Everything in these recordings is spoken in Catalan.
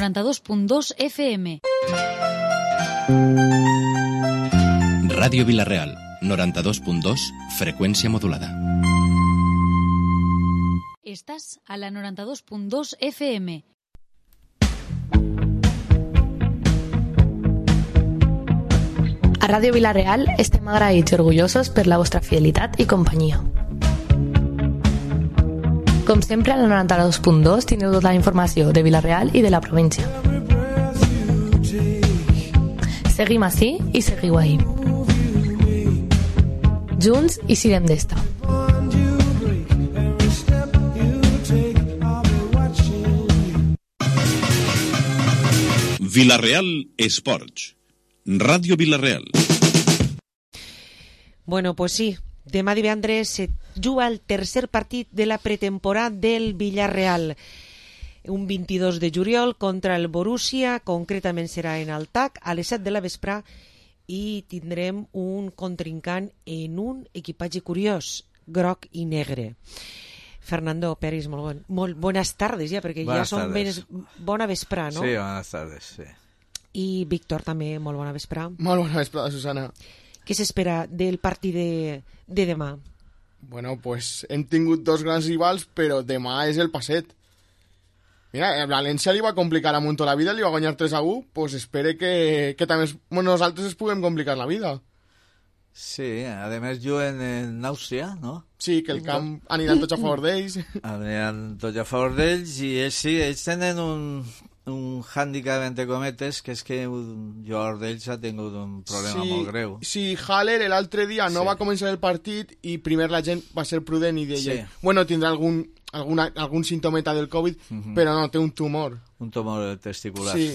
92.2 FM. Ràdio Vila-real, 92.2, freqüència modulada. Estàs a la 92.2 FM. A Ràdio Vila-real estem agraïts i orgullosos per la vostra fidelitat i companyia. Com sempre, a la 92.2 tindreu tota la informació de Vila-real i de la província. Seguim ací i seguiu ahí. Junts i siguem d'esta. Vila-real Esports. Ràdio Vila-real. Bueno, pues sí, demà divendres se juga el tercer partit de la pretemporada del Villarreal. Un 22 de juliol contra el Borussia, concretament serà en el TAC, a les 7 de la vesprà, i tindrem un contrincant en un equipatge curiós, groc i negre. Fernando Peris, molt bones tardes ja, perquè Buenas ja són tardes. bona vesprà, no? Sí, buenas tardes, sí. I Víctor també, molt bona vesprà. Molt bona vesprada, Susana. Què s'espera del partit de demà? Bueno, pues hem tingut dos grans rivals, però demà és el passet. Mira, el València li va complicar a Montó la vida, li va guanyar 3-1, pues espere que també nosaltres es puguem complicar la vida. Sí, además juguen en Àustria, no? Sí, que el camp aniran tots a favor d'ells. Aniran tots a favor d'ells i ells sí, ells tenen un hàndicap entre cometes, que és que un jugador d'ells ha tingut un problema molt greu. Sí, Haller l'altre dia no va començar el partit i primer la gent va ser prudent i deia, bueno, tindrà algun símptometa del Covid, però no, té un tumor. Un tumor testicular, sí.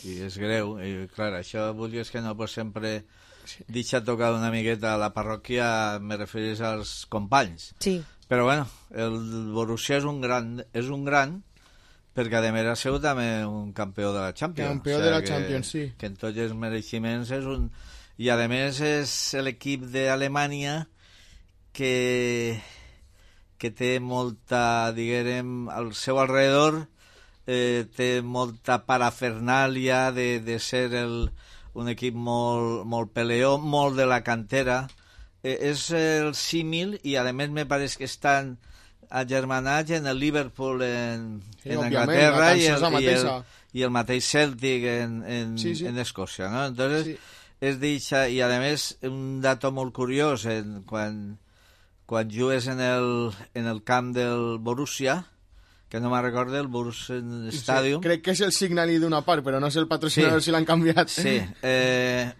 I és greu. I clar, això vulguis que no, pues sempre deixa tocar una miqueta a la parròquia, me referís als companys. Sí. Però bueno, el Borussia és un gran, perquè a més ha sigut també un campió de la Champions. Campió de la Champions, sí. Que en tots els mereixements és un... I a més és l'equip d'Alemanya que té molta, diguem, al seu alrededor té molta parafernàlia de ser un equip molt peleó, molt de la cantera. És el símil i a més me pareix que estan agermanats en el Liverpool en Anglaterra i el mateix Celtic en Escòcia, no? Entonces, és d'eixa, i a més un dato molt curiós, quan jugues en el camp del Borussia, que no me'n recordo, el Borussia Stadium. Sí, crec que és el Signal d'una part, però no és el patrocinador, si l'han canviat. Sí,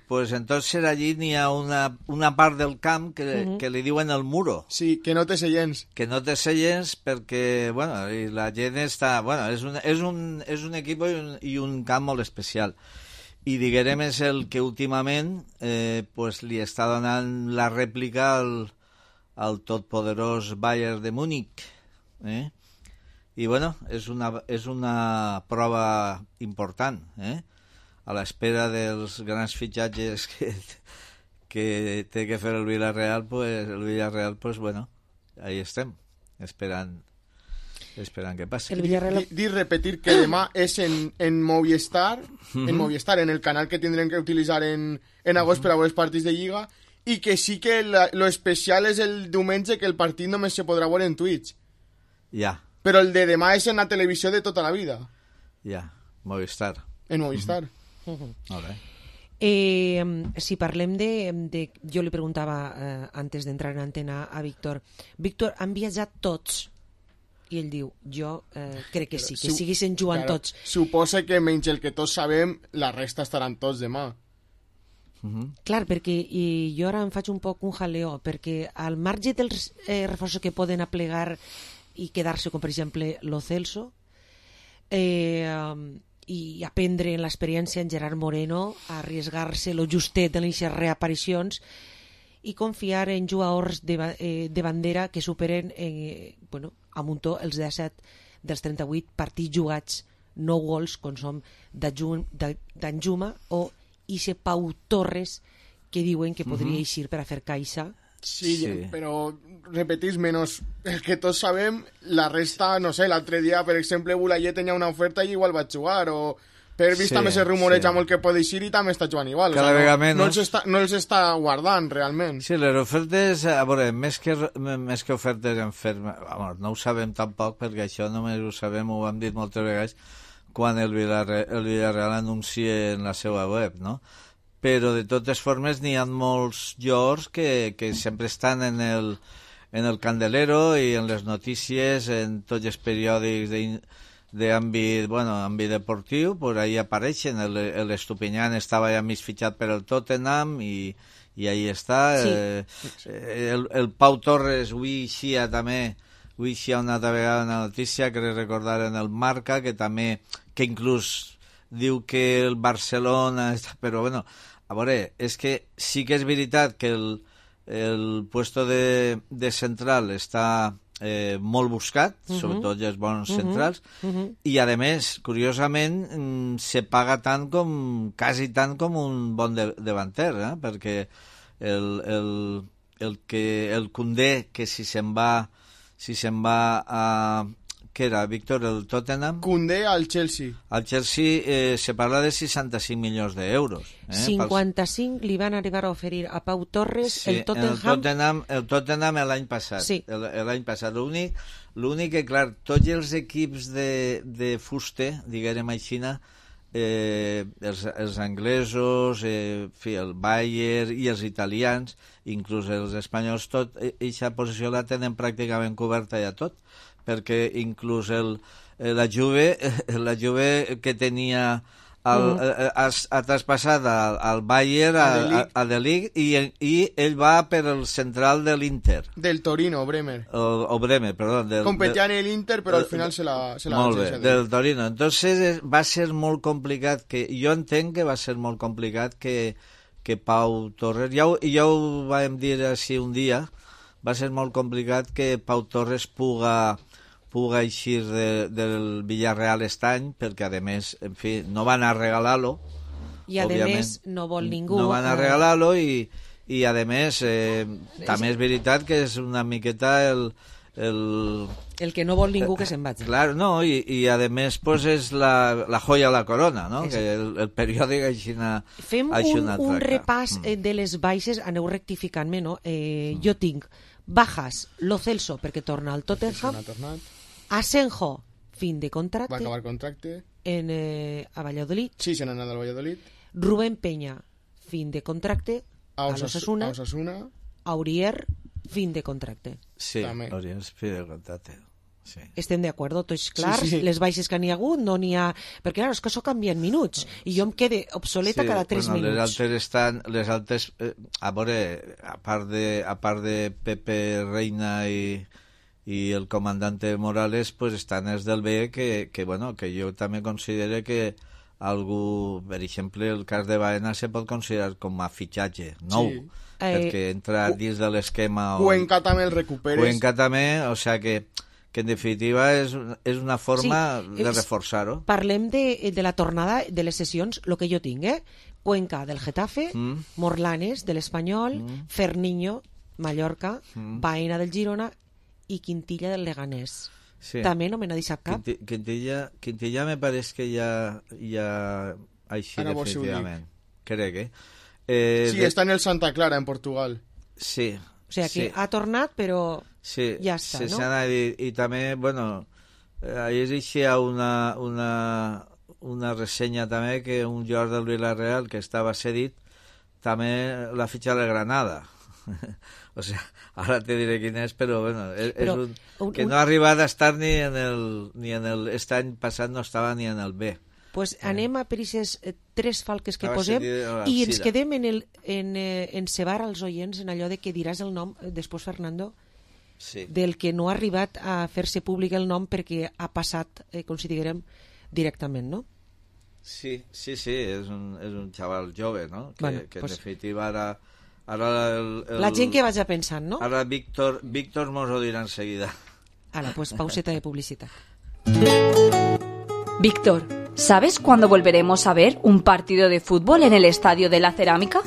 pues entonces allí n'hi ha una part del camp que li diuen el muro. Sí, que no té seients. Que no té seients perquè, bueno, i la gent està... Bueno, és un equip i un camp molt especial. I diguem és el que últimament pues li està donant la rèplica al totpoderós Bayern de Múnich, i bueno, és una prova important, a l'espera dels grans fitxatges que té que fer el Villarreal, pues bueno, ahí estem, esperant que passi. Repetir que demà és en Movistar, en el canal que tindrem que utilitzar en agost per a veure els partits de Lliga, i que sí que lo especial és el diumenge, que el partit només se podrà veure en Twitch. Ja. Però el de demà és en la televisió de tota la vida. Ja, Movistar. En Movistar. Molt bé. Si parlem de... Jo li preguntava antes d'entrar en antena a Víctor. Víctor, han viatjat tots? I ell diu, jo crec que sí, que siguessin jugant tots. Suposa que menys el que tots sabem, la resta estaran tots demà. Clar, perquè jo ara em faig un poc un jaleo, perquè al marge dels reforços que poden aplegar i quedar-se, com per exemple Lo Celso, i aprendre en l'experiència en Gerard Moreno, a arriesgar-se lo justet en les reaparicions i confiar en jugadors de bandera que superen a muntó els 17 dels 38 partits jugats, 9 gols, com som d'Anjuma o Ixe Pau Torres, que diuen que podria eixir per a fer caixa. Sí, però repetís, menys el que tots sabem, la resta, no sé, l'altre dia, per exemple, Boulaye tenia una oferta i igual va jugar, o Per vist també se rumoreja molt que pot eixir i també està jugant igual. Cada vegada menys. No els està guardant, realment. Sí, les ofertes, a veure, més que ofertes en ferma, no ho sabem tampoc, perquè això només ho sabem, ho hem dit moltes vegades, quan el Villarreal anuncia en la seva web, no? Però de totes formes n'hi ha molts jugadors que sempre estan en el candelero i en les notícies, en tots els periòdics d'àmbit deportiu, pues ahí apareixen. L'Estupiñán estava ja mig fitxat per el Tottenham i ahí està. Sí. El Pau Torres avui eixia també, una altra vegada una notícia que recordar en el Marca, que inclús diu que el Barcelona però bueno, a veure, és que sí que és veritat que el puesto de central està molt buscat, sobretot els bons centrals, i a més, curiosament, se paga quasi tant com un bon davanter, perquè el Koundé, que si se'n va a... Què era, Víctor, el Tottenham? Koundé al Chelsea. Al Chelsea se parla de 65 milions d'euros. 55 li van arribar a oferir a Pau Torres, sí, el Tottenham... El Tottenham l'any passat. Sí. L'any passat. L'únic que, clar, tots els equips de fuste, diguem així, els anglesos, el Bayern i els italians, inclús els espanyols, tot aquesta posició la tenen pràcticament coberta ja tot, perquè inclús la Juve que tenia ha traspassat al Bayern, a De Ligt, i ell va per el central de l'Inter. Del Torino, Bremer. O Bremer, perdó. Competia en l'Inter, però al final se la molt bé, del Torino. Entonces va ser molt complicat, jo entenc que va ser molt complicat que Pau Torres, ja ho vam dir així un dia, va ser molt complicat que Pau Torres puga eixir del Villarreal aquest any, perquè a més, en fi, no van a regalar-lo, i a més no vol ningú, no van a regalar-lo, i a més també és veritat que és una miqueta el que no vol ningú que se'n vagi. Clar, no, i a més pues és la joia a la corona, no? Que el periòdic així fem un repàs de les baixes, aneu rectificant-me, no? Jo tinc bajas, Lo Celso, perquè torna al Tottenham, Asenjo, fin de contracte, va acabar contracte a Valladolid, sí, se n'ha anat al Valladolid, Rubén Peña, fin de contracte a l'Osasuna, Aurier, fin de contracte. Sí, Aurier, fin de contracte. Sí. Estem d'acord, tots clars, sí. Les baixes que n'hi ha hagut, no n'hi ha... Perquè clar, és que això canvia en minuts, i jo em quede obsoleta cada 3 minuts. Les altres, a veure, a part de Pepe Reina i el comandante Morales, pues estan els del B que jo també considero que algú, per exemple, el cas de Baena se pot considerar com a fitxatge nou, sí. Perquè entra dins de l'esquema. Cuenca també el recuperes. Cuenca també, o sea que en definitiva és una forma de reforçar-ho. Parlem de la tornada de les sessions, el que jo tinc, Cuenca del Getafe, Morlanes de l'Espanyol, Ferniño, Mallorca, Baena del Girona i Quintilla del Leganés. Sí. També no me n'ha deixat cap. Quintilla me pareix que ja així ara definitivament. Crec, sí, està en el Santa Clara, en Portugal. Sí. O sigui que ha tornat, però ja està, no? I també, bueno, ahir existia una ressenya també que un jugador del Villarreal que estava cedit també l'ha fitxat a Granada. O sigui, ara te diré quin és, però bueno, que no ha arribat a estar ni en el este any passat no estava ni en el B. Pues anem a per aquestes 3 falques que posem i ens quedem en cebar als oients en allò de que diràs el nom després, Fernando, del que no ha arribat a fer-se públic el nom perquè ha passat, considerem, directament, no? Sí, és un xaval jove, no? Que en definitiva ara la gent que vaja pensant, no? Ara Víctor mos ho dirà enseguida. Ara, pues pauseta de publicitat. Víctor, ¿sabes cuándo volveremos a ver un partido de fútbol en el Estadio de la Cerámica?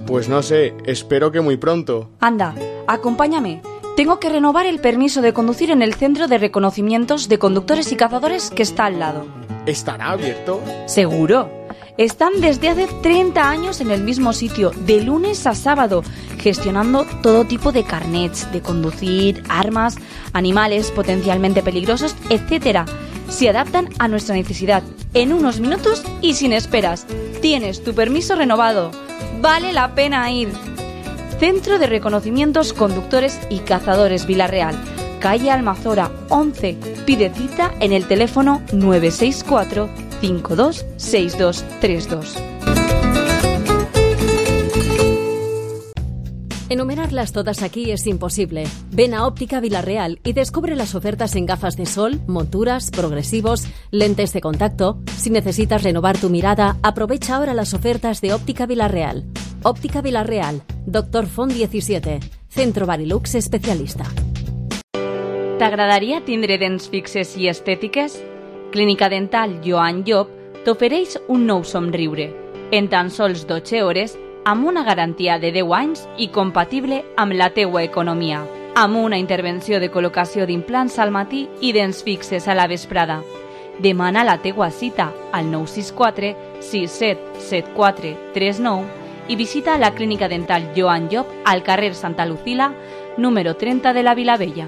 Pues no sé, espero que muy pronto. Anda, acompáñame. Tengo que renovar el permiso de conducir en el Centro de Reconocimientos de Conductores y Cazadores que está al lado. ¿Estará abierto? Seguro. Están desde hace 30 años en el mismo sitio, de lunes a sábado, gestionando todo tipo de carnets de conducir, armas, animales potencialmente peligrosos, etc. Se adaptan a nuestra necesidad en unos minutos y sin esperas. Tienes tu permiso renovado. Vale la pena ir. Centro de Reconocimientos Conductores y Cazadores Vila-real, calle Almazora 11. Pide cita en el teléfono 964 526232. Enumerarlas todas aquí es imposible. Ven a Óptica Vila-real y descubre las ofertas en gafas de sol, monturas, progresivos, lentes de contacto. Si necesitas renovar tu mirada, aprovecha ahora las ofertas de Óptica Vila-real. Óptica Vila-real, Dr. Font 17, Centro Barilux especialista. T'agradaria tindre dents fixes i estètiques? Clínica Dental Joan Llop t'ofereix un nou somriure, en tan sols 12 hores, amb una garantia de 10 anys i compatible amb la teua economia, amb una intervenció de col·locació d'implants al matí i dents fixes a la vesprada. Demana la teua cita al 964 6774 39 i visita la Clínica Dental Joan Llop al carrer Santa Lucila, número 30 de la Vilavella.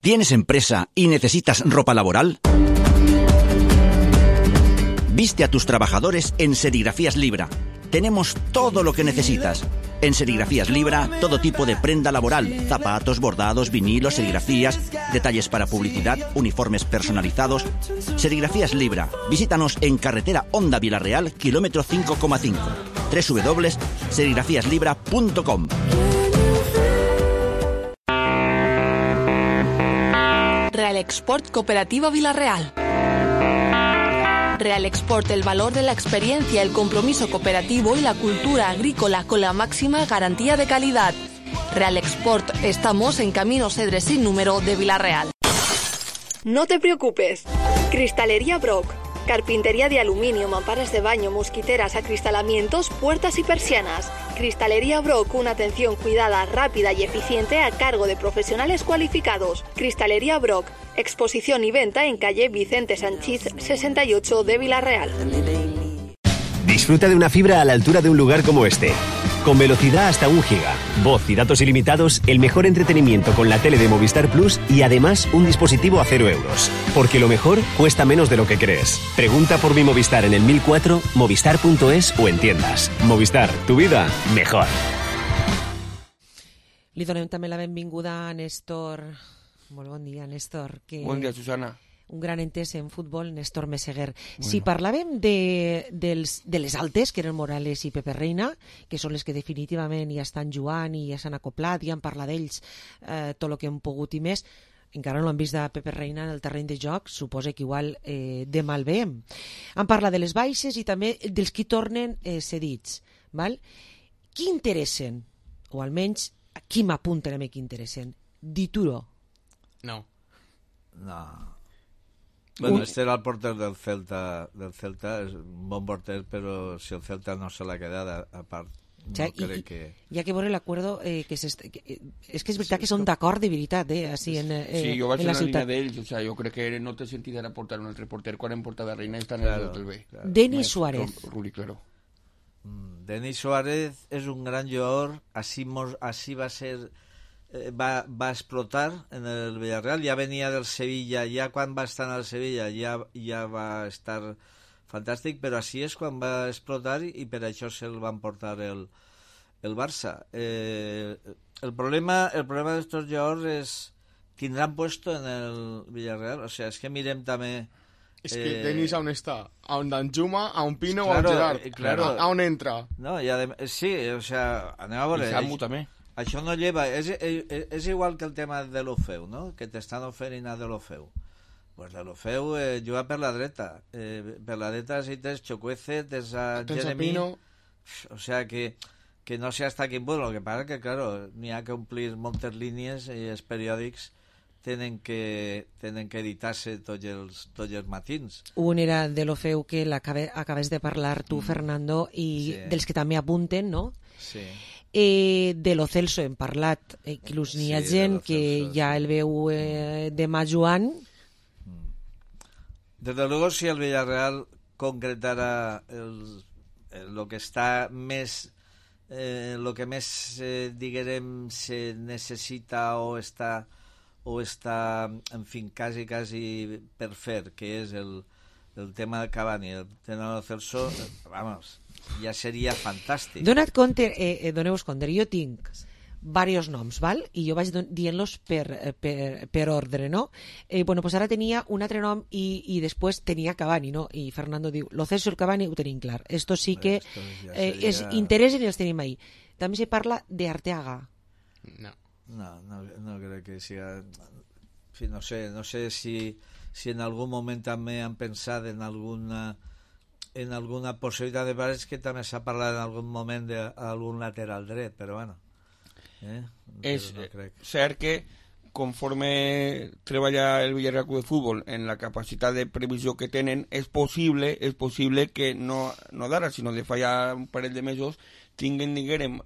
¿Tienes empresa y necesitas ropa laboral? Viste a tus trabajadores en Serigrafías Libra. Tenemos todo lo que necesitas. En Serigrafías Libra, todo tipo de prenda laboral, zapatos, bordados, vinilos, serigrafías, detalles para publicidad, uniformes personalizados. Serigrafías Libra. Visítanos en carretera Honda Vila-real, kilómetro 5,5. www.serigrafiaslibra.com. Real Export Cooperativa Vila-real. Real Export, el valor de la experiencia, el compromiso cooperativo y la cultura agrícola con la máxima garantía de calidad. Real Export, estamos en Camino Cedres sin número de Vila-real. No te preocupes. Cristalería Brock. Carpintería de aluminio, mamparas de baño, mosquiteras, acristalamientos, puertas y persianas. Cristalería Brock, una atención cuidada, rápida y eficiente a cargo de profesionales cualificados. Cristalería Brock, exposición y venta en calle Vicente Sanchís 68 de Vila-real. Disfruta de una fibra a la altura de un lugar como este. Con velocidad hasta 1 giga, voz y datos ilimitados, el mejor entretenimiento con la tele de Movistar Plus y además un dispositivo a 0 euros. Porque lo mejor cuesta menos de lo que crees. Pregunta por mi Movistar en el 1004, movistar.es o en tiendas. Movistar, tu vida mejor. Li donem també la benvinguda a Néstor. Molt bon dia, Néstor. Bon dia, Susana. Un gran entès en futbol, Néstor Meseguer. Bueno. Si parlàvem de les altes, que eren Morales i Pepe Reina, que són les que definitivament ja estan jugant i ja s'han acoplat, i han parlat d'ells tot el que hem pogut i més, encara no han vist de Pepe Reina en el terreny de joc, suposa que igual demà el veiem. Han parlat de les baixes i també dels qui tornen cedits. Val? Qui interessen? O almenys, qui m'apunten a mi qui interessen? Dituro. No. Bueno, este era el porter del Celta, és un bon porter, però si el Celta no se l'ha quedat, a part, no crec que... Hi ha que veure l'acuerdo, és que és veritat que són d'acord de veritat, així en la ciutat. Sí, jo vaig en la línia d'ells, o sea, jo crec que no té sentit ara portar un altre porter quan hem portat a Reina i estan en el hotel B. Denis Suárez. Ruli, claro. Denis Suárez és un gran jugador, així va ser... Va explotar en el Villarreal, ja venia del Sevilla, ja quan va estar en el Sevilla ja va estar fantàstic, però així és quan va explotar i per això se'l van portar el Barça. El problema d'estos jugadors és tindran puesto en el Villarreal, o sea, és que mirem també... És que Denis on està? A on Danjuma, a on Pino o a on Gerard? Claro. A on entra? No, sí, o sea, anem a veure... I Samu també. Això no lleva, és igual que el tema de l'Ofeu, no? Que t'estan oferint a de l'Ofeu. Pues de l'Ofeu juga per la dreta. Per la dreta si tens Chukwueze, tens a Jeremy... O sea que no sé hasta quin punt. Lo que pasa que, claro, n'hi ha que omplir moltes línies i els periòdics tenen que editar-se tots els matins. Un era de l'Ofeu que acabes de parlar tu, Fernando, i sí. Dels que també apunten, no? Sí. De lo Celso hem parlat, inclús n'hi ha gent que ja el veu demà jugant. Desde luego, si el Villarreal concretara lo que está més... lo que més, diguem, se necessita o està, en fi, quasi per fer, que és el tema de Cavani, el tema de Celso, vamos, ja seria fantàstic. Doneu-vos compte, jo tinc varios noms, val? I jo vaig dient-los per ordre, no? Bueno, pues ara tenia un altre nom i després tenia Cavani, no? I Fernando diu, lo Celso i el Cavani ho tenim clar. Esto sí que es interessen i els tenim ahí. També se parla de Arteaga. No crec que siga... En fi, no sé si en algun moment també han pensat en alguna possibilitat de pares, que també s'ha parlat en algun moment d'algun lateral dret, però bueno. És cert que conforme treballa el Villarreal Club de Fútbol en la capacitat de previsió que tenen, és possible que no d'ara, sinó de fallar un parell de mesos, tinguen, diguem,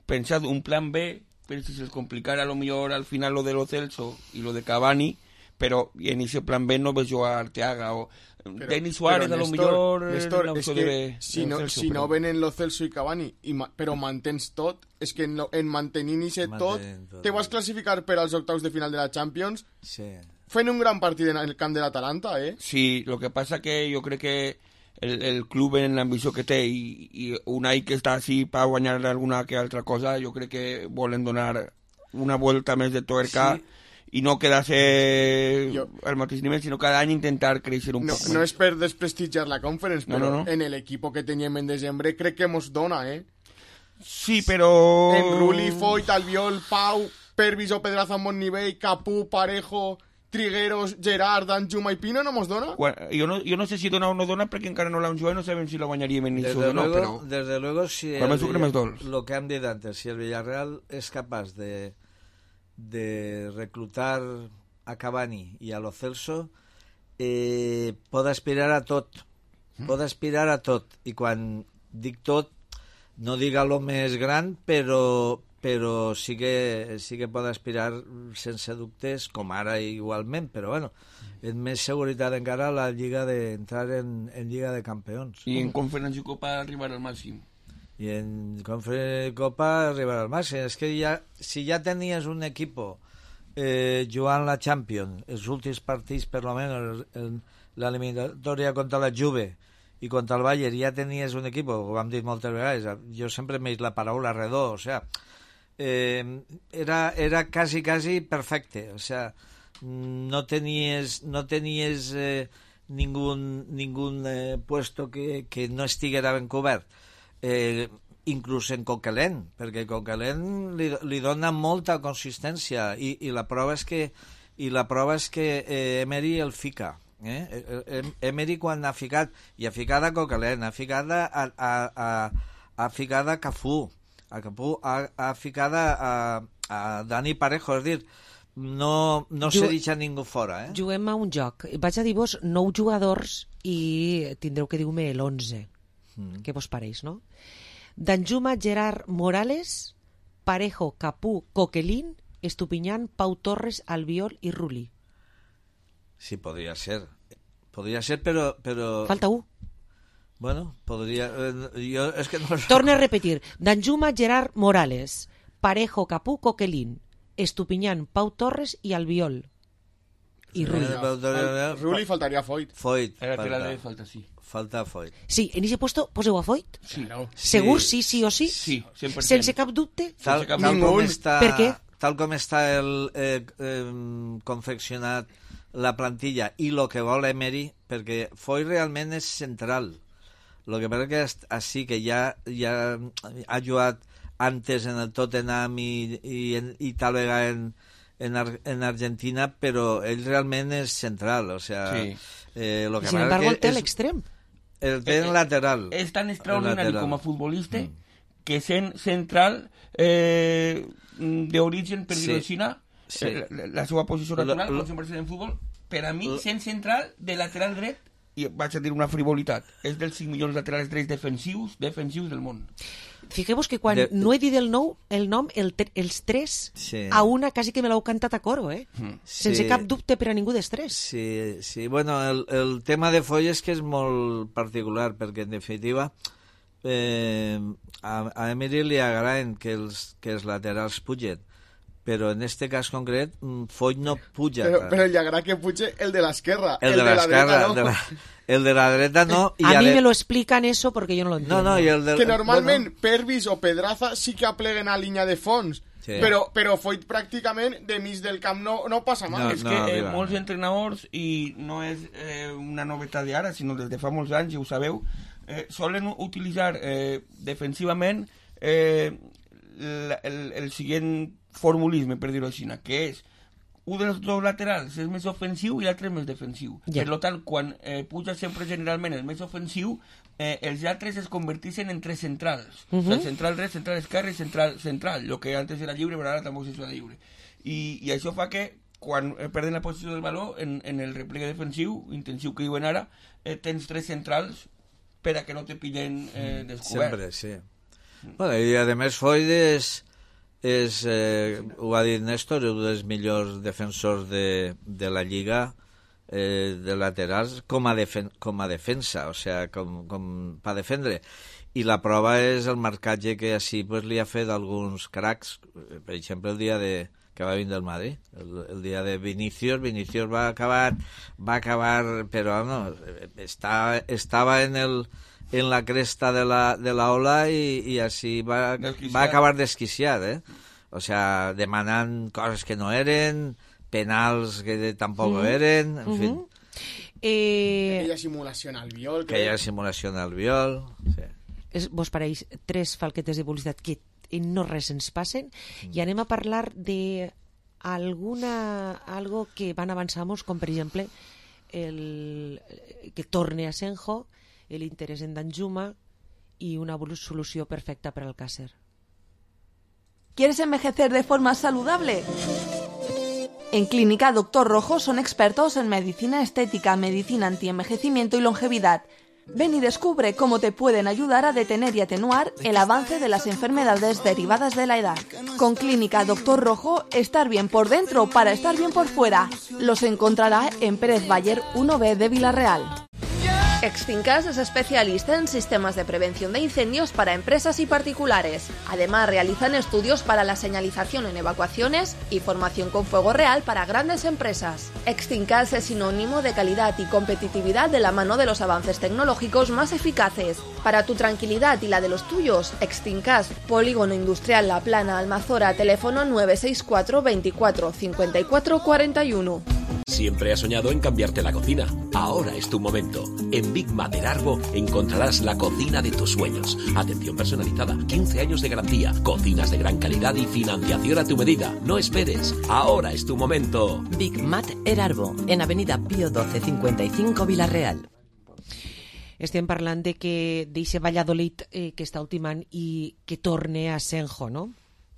pensat un plan B per si se'ls complicara a lo millor al final lo de lo Celso y lo de Cavani, però en ese plan B no ves jo a Arteaga o Denis Suárez, a lo millor Néstor, és que si no venen lo Celso i Cavani però mantens tot, és que en mantenint-se tot te vas classificar per als octaus de final de la Champions fent un gran partit en el camp de l'Atalanta, Sí, lo que pasa que jo crec que el club en l'ambició que té i Unai que està així per guanyar alguna que altra cosa, jo crec que volen donar una volta més de tuerca i no quedar-se al mateix nivell, sinó cada any intentar créixer un poc. No és per desprestigiar la Conference, però en el equipo que teníem en desembre crec que mos dona, Sí, però... En Rulli, Foyt, Albiol, Pau, Pervis o Pedraza en bon nivell, Capú, Parejo, Trigueros, Gerard, Danjuma i Pino no mos dona? Jo no sé si dona o no dona perquè encara no l'han jugat i no sabem si la guanyaríem en Nisso o no, però... Desde luego, si lo que hem dit antes, si el Villarreal és capaç de reclutar a Cavani y a Lo Celso, pot aspirar a tot. I quan dic tot, no dic lo més gran, però sí que pot aspirar sense dubtes, com ara igualment, però bueno, és més seguretat encara la Lliga d'entrar en Lliga de Campeons. I en Conferència i Copa arribar al màxim. I en Conferència Copa arribar al màxim. És que si ja tenies un equip jugant la Champions, els últims partits, per lo menos l'eliminatòria contra la Juve i contra el Bayern, ja tenies un equip, ho hem dit moltes vegades, jo sempre m'he dit la paraula redó, o sea, era quasi perfecte, o sea, no tenies ningún puesto que no estiguera ben cobert. Inclús en Coquelin, perquè Coquelin li dona molta consistència i la prova és que Emery el fica. Emery quan ha ficat, i ha ficat a Coquelin, ha ficat a Cafú, ha ficat a Dani Parejo, és dir, no se deixa ningú fora. Juguem a un joc. Vaig a dir-vos 9 jugadors i tindreu que dir-me l'11. Què vos pareix, no? Danjuma, Gerard, Morales, Parejo, Capú, Coquelin, Estupiñán, Pau Torres, Albiol i Rulli. Sí, podria ser, però... Falta 1. Bueno, podria... Jo és que no... Torne a repetir. Danjuma, Gerard, Morales, Parejo, Capú, Coquelin, Estupiñán, Pau Torres i Albiol. I Rulli. Rulli faltaria Foyt. Falta Foyt. Sí, en ese puesto poseu a Foyt? Sí. Segur, sí o sí? Sí, 100%. Sense cap dubte? Per què? Tal com està confeccionat la plantilla i el que vol Emery, perquè Foyt realment és central. El que passa que així que ja ha jugat antes en el Tottenham i tal vegada en Argentina, però ell realment és central, o sea... Sí. Lo que sin embargo, el té a l'extrem. El té en lateral. És tan extraordinari com a futbolista que sent central d'origen, per dir-ho així, la seva posició natural, com sempre en futbol, per a mi, sent central de lateral dret, i vaig a dir una frivolitat, és dels 5 millors laterals drets defensius del món. Fiqueu-vos que quan no he dit el nom, els tres, a una quasi que me l'heu cantat a coro, sense cap dubte per a ningú dels tres. Sí, bueno, el tema de Folles que és molt particular, perquè en definitiva a Emery li agraden que els laterals pugen, però en este cas concret Foll no puja. Però li agrada que puge el de l'esquerra. El de l'esquerra, no. El de la dreta no. A mí me lo explican eso porque yo no lo entiendo. No, y el del, que normalment Pervis o Pedraza sí que apleguen a línia de fons, però Foll pràcticament de mig del camp no passa mal. És que molts entrenadors, i no és una novetat d'ara, sinó des de fa molts anys, i ho sabeu, solen utilitzar defensivament el siguiente formulisme, per dir-ho així, que és un dels dos laterals és més ofensiu i l'altre és més defensiu. Per tant, quan puja sempre generalment el més ofensiu, els altres es converteixen en tres centrals. El central dret, central esquerre i central. El que antes era lliure, però ara tampoc és lliure. I això fa que, quan perden la posició del valor, en el replegue defensiu, intensiu que diuen ara, tens tres centrals per a que no te pillen descobert. Sempre, sí. Bueno, i a més Foll ho ha dit Néstor, un dels millors defensors de la Lliga de laterals com a defensa, o sea, com per defendre. I la prova és el marcatge que així pues, li ha fet alguns cracs, per exemple el dia que va vindre del Madrid, el dia de Vinicius va acabar, però no, estava en la cresta de la ola i així va acabar desquiciat, o sea, demanant coses que no eren, penals que tampoc eren, en fi. Aquella simulació en el viol. Sí. Vos pareix tres falquetes de publicitat que no res ens passen i anem a parlar de algo que van avançar-nos, com per exemple que torne a Senjo, l'interès en Danjuma y una solució perfecta para Alcácer. ¿Quieres envejecer de forma saludable? En Clínica Doctor Rojo son expertos en medicina estética, medicina antienvejecimiento y longevidad. Ven y descubre cómo te pueden ayudar a detener y atenuar el avance de las enfermedades derivadas de la edad. Con Clínica Doctor Rojo, estar bien por dentro para estar bien por fuera. Los encontrará en Pérez Bayer 1B de Villarreal. Extincas es especialista en sistemas de prevención de incendios para empresas y particulares. Además, realizan estudios para la señalización en evacuaciones y formación con fuego real para grandes empresas. Extincas es sinónimo de calidad y competitividad de la mano de los avances tecnológicos más eficaces. Para tu tranquilidad y la de los tuyos, Extincas, Polígono Industrial La Plana, Almazora, teléfono 964 24 54 41. Siempre has soñado en cambiarte la cocina. Ahora es tu momento. En Big Mater Arbo encontrarás la cocina de tus sueños. Atención personalizada, 15 años de garantía, cocinas de gran calidad y financiación a tu medida. No esperes. Ahora es tu momento. Big Mater Arbo, en Avenida Pío 12 55 Villarreal. Estem parlant de que d'eixe Valladolid que està ultimant i que torne a Senjo, no?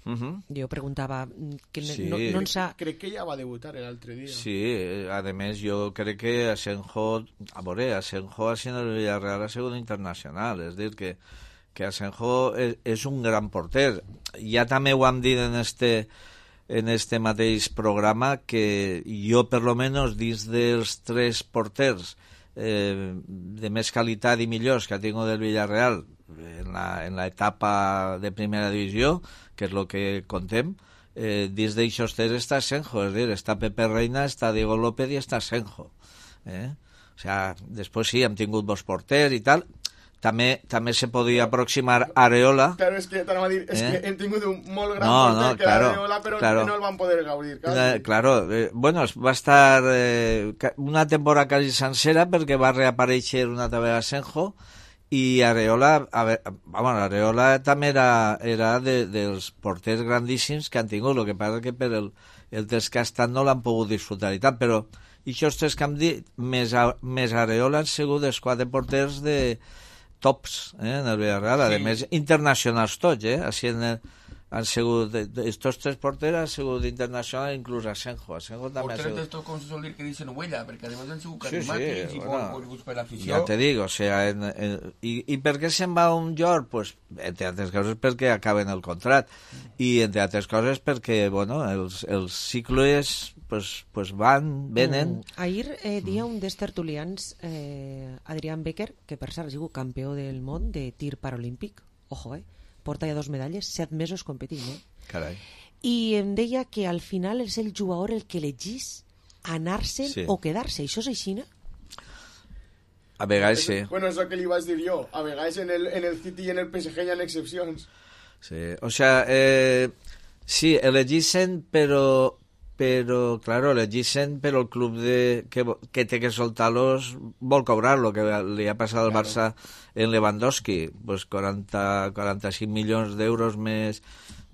Jo preguntava que no ens ha... Crec que ja va debutar l'altre dia. Sí, a més jo crec que Asenjo ha sigut el Villarreal a segon internacional, és dir que Asenjo és un gran porter. Ja també ho hem dit en este mateix programa que jo per lo menos dins dels tres porters de més qualitat i millors que ha tingut el Villarreal en l'etapa de primera divisió, que és el que contem, dins d'aixòs tres està Senjo, és dir, està Pepe Reina, està Diego López i està Senjo. O sea, després sí, hem tingut dos porters i tal, també se podia aproximar Areola. Claro, és que t'anava a dir, és que hem tingut un molt gran porter que Areola, però no el van poder gaudir. Claro, bueno, va estar una temporada quasi sencera perquè va reaparèixer una altra vegada Senjo, i Areola, Areola també era dels porters grandíssims que han tingut, el que passa que per el temps que ha estat no l'han pogut disfrutar i tal, però aquests tres que hem dit, més Areola han sigut els quatre porters de tops en el Villarreal, a més internacionals tots, així han sigut, estos 3 porters han sigut internacional, inclús Asenjo també ha porters sigut... d'estos, com se sol dir, que dicen huella, perquè además han sigut Sí, carismàtics i bueno, coneguts per l'afició. ja te dic, o sea, i per què se'n va un York? Pues, entre altres coses perquè acaben el contrat, i entre altres coses perquè, bueno, els cicles pues van, venen... Ahir dia un dels tertulians, Adrián Becker, que per cert ha sigut campió del món de tir paralímpic, ojo, porta ja 2 medalles, 7 mesos competint, Carai. I em deia que al final és el jugador el que elegís anar-se'n o quedar-se. Això és així, no? A vegades sí. Bueno, és el que li vaig dir jo. A vegades en el City i en el PSG hi ha excepcions. Sí, o sea, sí, elegissen, però claro, elegissen, però el club que té que soltar-los vol cobrar-lo, que li ha passat al Barça en Lewandowski, pues 45 milions d'euros més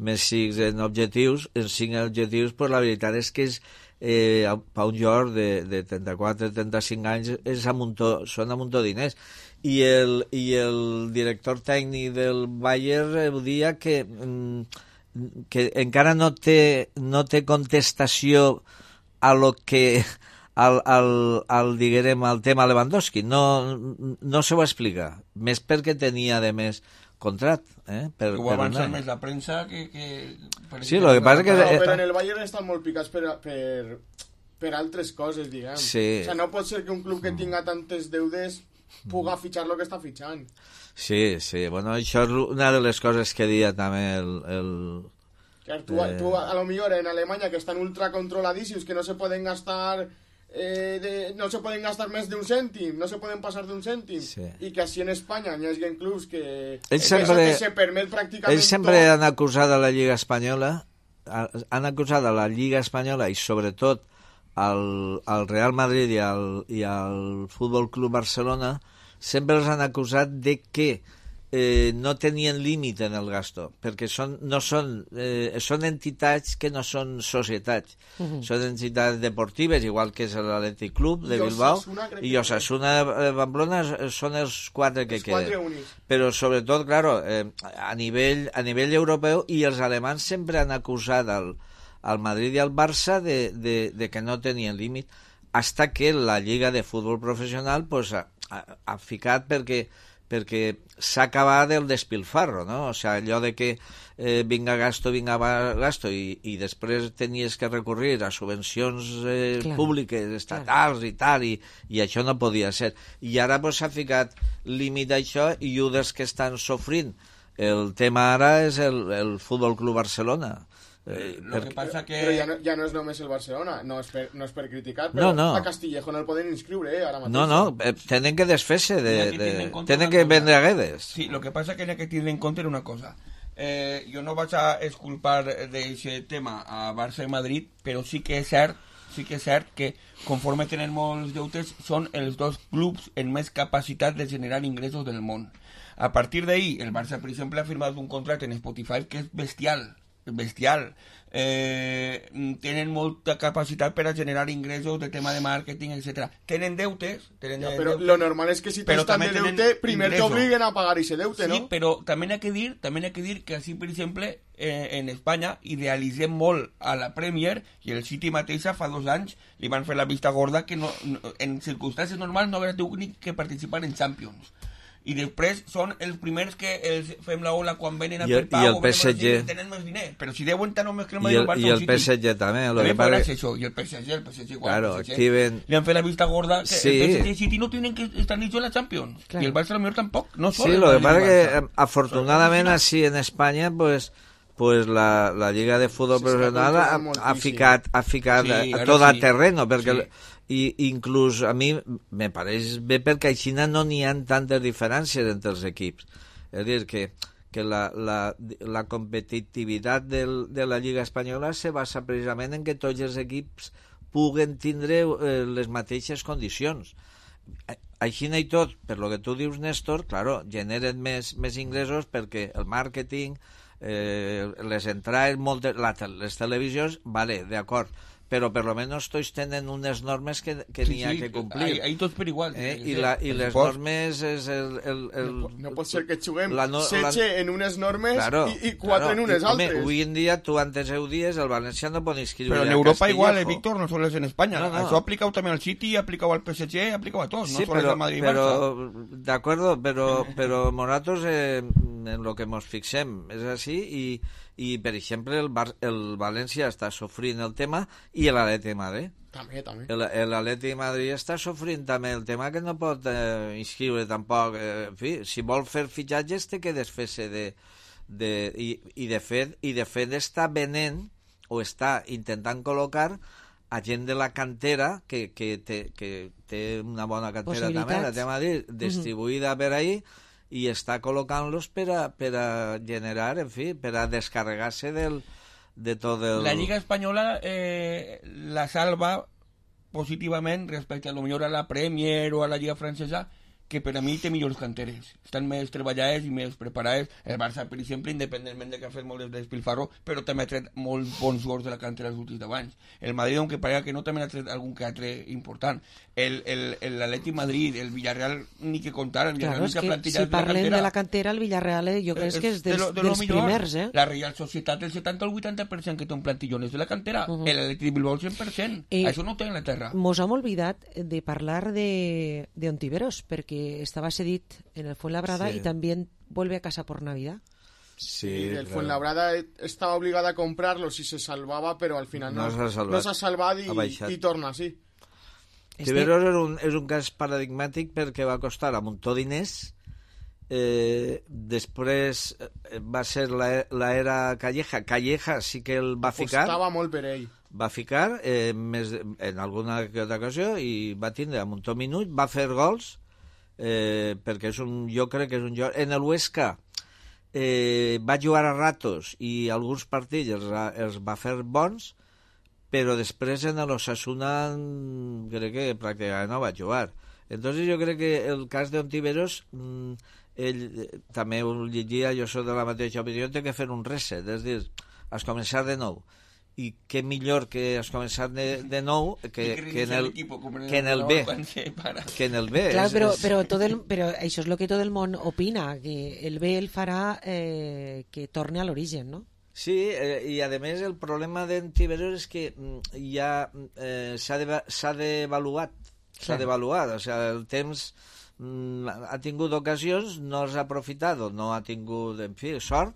6 en objectius, en 5 objectius, pues la veritat és que és per un jugador de 34-35 anys són a muntó diners. I el director tècnic del Bayern dia que encara no té contestació a lo que al tema Lewandowski, no se ho explica, més perquè tenia de més contrat, ho avança més la premsa que sí, lo que passa que però en el Bayern estan molt picats per altres coses, diguem. Sí. O sea, no pot ser que un club que tinga tantes deudes puga fitxar lo que està fitxant. Sí, bueno, això és una de les coses que deia també Tu a lo millor en Alemanya, que estan ultra controladísimos, que no se pueden gastar no se pueden gastar més d'un cèntim, no se poden passar d'un cèntim, i que així en Espanya hi hagi clubs que se permet pràcticament ells sempre han acusat a la Lliga Espanyola i sobretot al Real Madrid i al Futbol Club Barcelona, sempre els han acusat de que no tenien límit en el gasto, perquè són entitats que no són societats, són entitats deportives, igual que és l'Atlètic Club de Bilbao i Osasuna de Pamplona, són els 4 que queden. Però sobretot, claro, a nivell europeu, i els alemans sempre han acusat al Madrid i al Barça de que no tenien límit, hasta que la Lliga de Futbol Professional pues, ha ficat perquè s'ha acabat el despilfarro, no? O sea, allò de que vinga gasto, i després tenies que recurrir a subvencions públiques, estatals i tal, i això no podia ser. I ara s'ha ficat límit a això, i un dels que estan sofrint el tema ara és el Futbol Club Barcelona. Lo que passa que... Però ja no és només el Barcelona, no és per criticar, però a Castillejo no el poden inscriure ara mateix. No, tenen que desfer-se, tenen que vendre aguedes. Sí, lo que passa que hay que tener en compte una cosa. Jo no vaig a exculpar d'aquest tema a Barça i Madrid, però sí que és cert que conforme tenen molts deutes són els 2 clubs amb més capacitat de generar ingressos del món. A partir d'ahí, el Barça, per exemple, ha firmat un contracte en Spotify que és bestial. Tenen molta capacitat per a generar ingressos de tema de màrqueting, etc. Tenen deutes, però lo normal és que si tens tant de deute, primer t'obliguen a pagar ese deute, no? Sí, però també hay que dir que així, per exemple, en Espanya idealitzem molt a la Premier, i el City mateixa fa 2 anys li van fer la vista gorda que en circumstàncies normals no haurà tingut ni que participar en Champions. I després són els primers que els fem la ola quan venen a fer pau, i el PSG tenen més diners, però si deuen tant més que el Madrid o el Barça, i el PSG també, i el PSG igual, claro, li han fet la vista gorda que el PSG i City no tienen que estar ni en la Champions, i el Barça a lo mejor tampoc, no sí, lo que pasa que afortunadamente así en España pues la Lliga de Fútbol Profesional ha ficat tot a terreno, perquè i inclús a mi me pareix bé perquè així no n'hi ha tantes diferències entre els equips. És a dir, que la competitivitat de la Lliga Espanyola se basa precisament en que tots els equips puguen tindre les mateixes condicions. Així i tot, per lo que tu dius, Néstor, claro, generen més ingressos perquè el màrqueting, les entrades, les televisions, vale, d'acord, pero por lo menos tots tenen unes normes que n'hi ha que complir. Ahí tots per igual. I les normes és No pot ser que juguem 16 en unes normes i 4 en unes altres. Home, avui en dia, tu antes ho dies, el València no pot inscriure Pero en Europa igual, Víctor, no solo es en España. Eso ha aplicado también al City, ha aplicado al PSG, ha aplicado a todos, no solo al Madrid y Barça. De acuerdo, pero nosaltres en lo que nos fixem és així i per exemple, el València està sofrint el tema i l'Atleti de Madrid. També. L'Atleti de Madrid està sofrint també el tema que no pot inscriure tampoc. En fi, si vol fer fitxatges té que desfer-se i de fet està venent o està intentant col·locar a gent de la cantera que té una bona cantera també, la de Madrid, distribuïda per ahí, i està col·locant-los per a generar, en fi, per a descarregar-se de tot el... La Lliga Espanyola la salva positivament respecte a lo millor a la Premier o a la Lliga Francesa, que per a mi té millors canteres, estan més treballades i més preparades. El Barça, per exemple, independentment de que ha fet molt de despilfarro, però també ha tret molt bons jugadors de la cantera els últims 10 anys. El Madrid, aunque parega que no, també ha tret algun que altre important. L'Atleti Madrid, el Villarreal, ni que contar. El Villarreal, claro, es que si parlem de la cantera, el Villarreal jo crec que és dels primers. La Real Societat, el 70 o el 80% que té un plantillón és de la cantera. L'Atleti Bilbao, el 100%. Això no té en la terra. Mos hem oblidat de parlar de Ontiveros, perquè estaba cedit en el Fuenlabrada y también vuelve a casa por Navidad. Sí, el Fuenlabrada estaba obligado a comprarlo si se salvaba, pero al final no s'ha salvat i torna així. Ontiveros és un cas paradigmàtic perquè va costar un muntó diners, després va ser l'era Calleja sí que el va ficar. Costava molt per ell. Va ficar en alguna altra ocasió i va tindre un muntó minut, va fer gols, perquè jo crec que és un joc. En el Huesca va jugar a ratos i alguns partits els va fer bons, però després en l'Osasuna crec que pràcticament no va jugar. Entonces jo crec que el cas d'Ontiveros, ell també ho llegia, jo soc de la mateixa opinió, té que fer un reset, és a dir, has començar de nou. I què millor que has començat de nou que en el B. Clar, però això és el que tot el món opina, que el B el farà que torni a l'origen, no? Sí, i a més el problema d'Ontiveros és que ja s'ha devaluat, o sigui, el temps ha tingut ocasions, no s'ha aprofitat, no ha tingut, en fi, sort,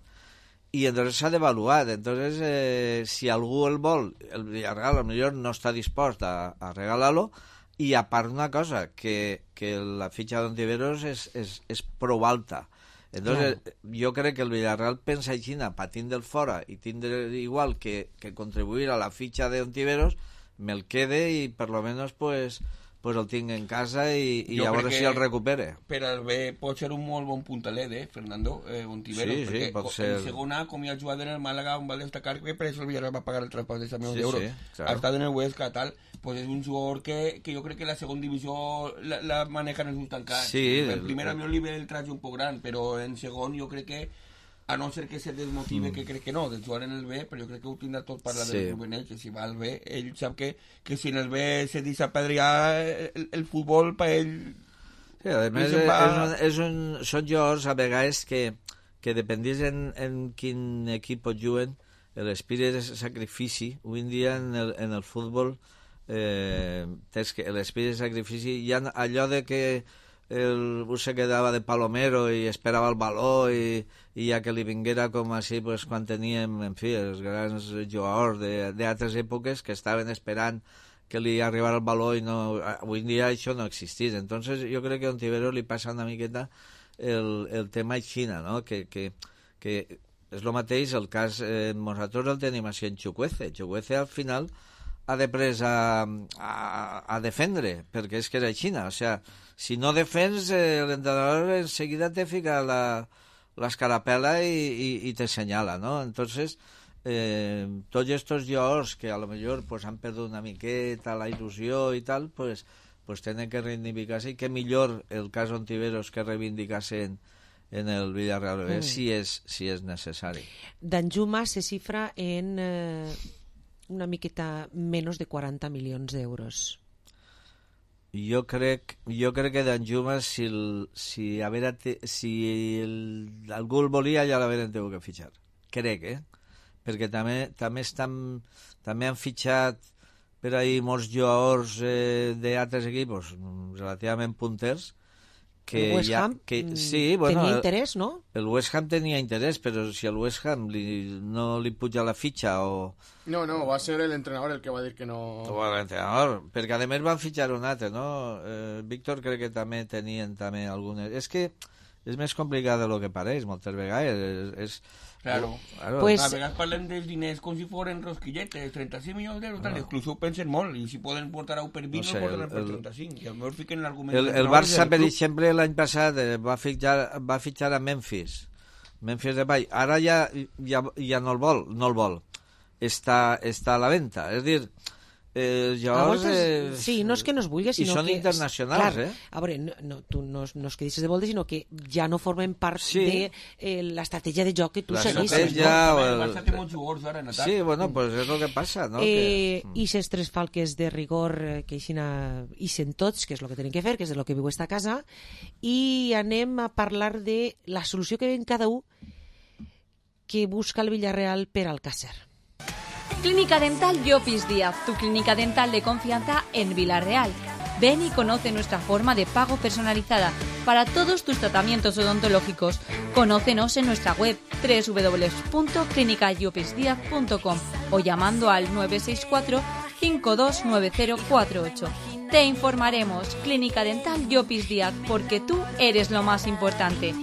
i entonces s'ha devaluat. Entonces, si algú el vol, el Villarreal potser no està dispost a regalar-lo, i a part una cosa, que la fitxa d'Ontiveros és prou alta. Entonces, jo crec que el Villarreal pensa així, patint del fora i tindre igual que contribuir a la fitxa d'Ontiveros, me'l quede i per lo menos pues el tinc en casa i a veure si el recupere. Per al B pot ser un molt bon puntalet, Fernando, Ontiveros, perquè pot ser... en segona, com ja ha jugat en el Màlaga, on va destacar que per això el Villarreal va pagar el traspàs de 100 milions d'euros. Ha estat en el Huesca, tal, pues és un jugador que jo crec que la segona divisió la maneja en els ulls tancats. En primera li ve el traje un poc gran, però en segon jo crec que, a no ser que se desmotive, que crec que no, de jugar en el B, però jo crec que ho tindrà tot parlar del Rubenell, que si va al B, ell sap que si en el B se deixa apedrear el futbol, per ell... Sí, a més, són jugadors a vegades que dependís en quin equip juguen, l'espírit de sacrifici, avui en dia en el futbol, l'espírit de sacrifici, hi ha allò de que el bus se quedava de palomero i esperava el baló i ja que li vinguera com així pues, quan teníem, en fi, els grans jugadors d'altres èpoques que estaven esperant que li arribara el baló i no, avui en dia això no existís. Entonces jo crec que a Ontiveros li passa una miqueta el tema Xina, no? Que és el mateix el cas, nosaltres el tenim així en Chukwueze. Chukwueze al final ha de pres a defendre, perquè és que era Xina, o sea, si no defens, l'entrenador enseguida te fica l'escarapela i te senyala, ¿no? Entonces, tots estos jugadors que a lo mejor pues, han perdut una miqueta la il·lusió i tal, pues tenen que reivindicar-se, i que millor el cas Ontiveros que reivindicar-se en el Villarreal si és necessari. Danjuma se cifra en una miqueta menys de 40 milions d'euros. Jo crec que Danjuma, si algú el volia, ja l'haveren tingut que fitxar. Crec, perquè també han fitxat per ahí molts jugadors d'altres equips relativament punters, el West Ham tenia interès, no? El West Ham tenia interès, però si al West Ham no li puja la fitxa o... No, va ser l'entrenador el que va dir que no... L'entrenador, perquè a més van fitxar un altre, no? Víctor crec que també tenien algunes... És que és més complicat del que pareix, moltes vegades. Claro. Pues, a vegades parlem dels diners com si foren rosquilletes, 36 milions d'euros, inclús ho pensen molt, i si poden portar per 20 no portaran per 35, i a millor fiquen l'argument... El Barça, per exemple, l'any passat va fitxar a Memphis Depay, ara ja no el vol, està a la venda, és a dir, sí, no és que no es vulgui, sinó són que... internacionals, clar, a veure, tu no és que dices de voltes, sinó que ja no formen part de l'estratègia de joc que tu segueixes. El Barça té molts jugadors ara en atac. Sí, bueno, pues és el que passa, no? I ses tres falques de rigor que ixen tots, que és el que tenen que fer, que és el que viu esta casa, i anem a parlar de la solució que ven cada un que busca el Villarreal per Alcácer. Clínica Dental Llopis Díaz, tu clínica dental de confianza en Villarreal. Ven y conoce nuestra forma de pago personalizada para todos tus tratamientos odontológicos. Conócenos en nuestra web www.clinicallopisdiaz.com o llamando al 964 529048. Te informaremos. Clínica Dental Llopis Díaz, porque tú eres lo más importante.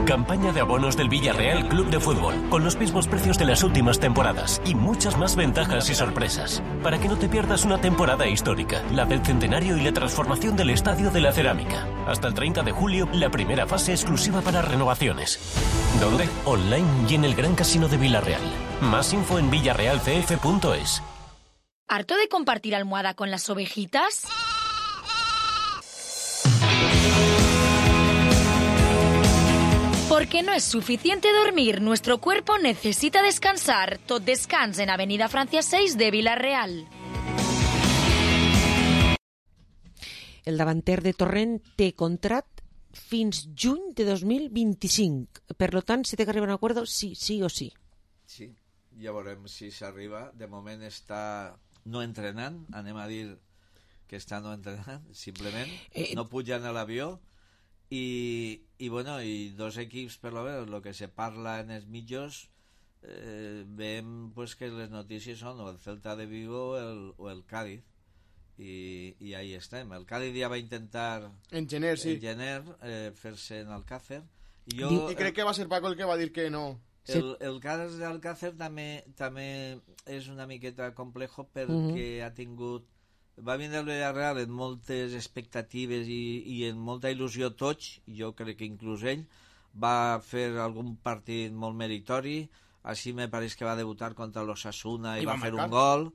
Campaña de abonos del Villarreal Club de Fútbol, con los mismos precios de las últimas temporadas y muchas más ventajas y sorpresas. Para que no te pierdas una temporada histórica, la del centenario y la transformación del Estadio de la Cerámica. Hasta el 30 de julio, la primera fase exclusiva para renovaciones. ¿Dónde? Online y en el Gran Casino de Villarreal. Más info en villarrealcf.es. ¿Harto de compartir almohada con las ovejitas? Porque no es suficiente dormir, nuestro cuerpo necesita descansar. Tot Descans en Avenida Francia 6 de Villarreal. El davanter de Torrent té contrat fins juny de 2025. Per tant, si té que arribar a un acord, sí o sí. Sí, ja veurem si s'arriba. De moment està no entrenant, anem a dir que està no entrenant, simplement. No pujan a l'avió. I dos equips, per lo menos, el que se parla en els mitjos, veiem pues, que les notícies són o el Celta de Vigo o el Cádiz, i ahí estem. El Cádiz ja va intentar en gener fer-se en Alcácer, i crec que va ser Paco el que va dir que no. El cas d'Alcácer també és una miqueta complejo perquè ha tingut... Va vindre el Villarreal en moltes expectatives i en molta il·lusió tots, jo crec que inclús ell, va fer algun partit molt meritori, així me pareix que va debutar contra l'Osasuna i va fer un gol,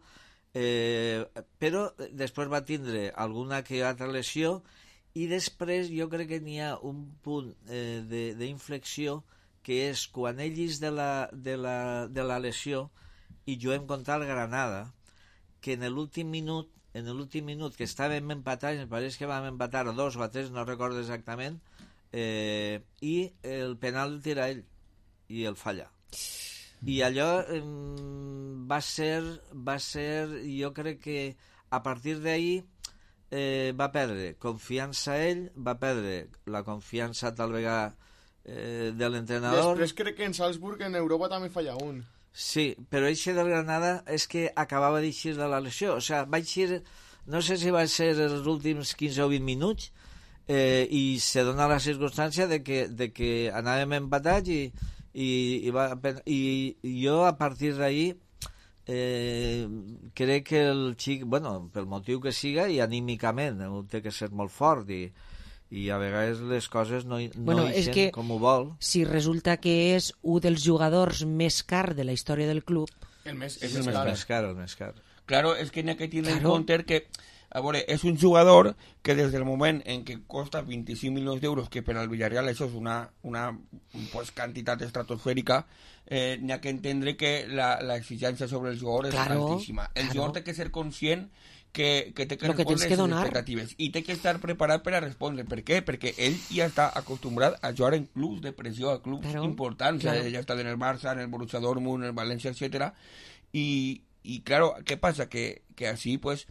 però després va tindre alguna que altra lesió i després jo crec que n'hi ha un punt d'inflexió que és quan ell és de la lesió i juguem contra el Granada, que en l'últim minut que estàvem empatats, em pareix que vam empatar a 2 o a 3, no recordo exactament, i el penal el tira ell i el falla. I allò va ser, jo crec que a partir d'ahir va perdre confiança ell, va perdre la confiança tal vegada de l'entrenador. Després crec que en Salzburg en Europa també falla un. Sí, però eixe del Granada és que acabava d'eixir de la lesió, o sigui, va eixir, no sé si va ser els últims 15 o 20 minuts, i se dona la circumstància de que anàvem empatats i jo a partir d'ahir crec que el xic, bueno, pel motiu que siga i anímicament, té que ser molt fort i a vegades les coses no ixen com ho vol. Si resulta que és un dels jugadors més car de la història del club... El més car. Claro, és que n'hi ha que tenir en compte que A veure, és un jugador que des del moment en què costa 25 milions d'euros, que per al Villarreal això és una pues, quantitat estratosfèrica, n'hi ha que entendre que l'exigència sobre el jugador és altíssima. El jugador té que ser conscient que té que respondre les expectatives i té que estar preparat per a respondre. Per què? Perquè ell ja està acostumbrat a jugar en clubs de pressió, a clubs importants. Ja està en el Barça, en el Borussia Dortmund, en el València, etc. I claro, què passa? Que així, pues,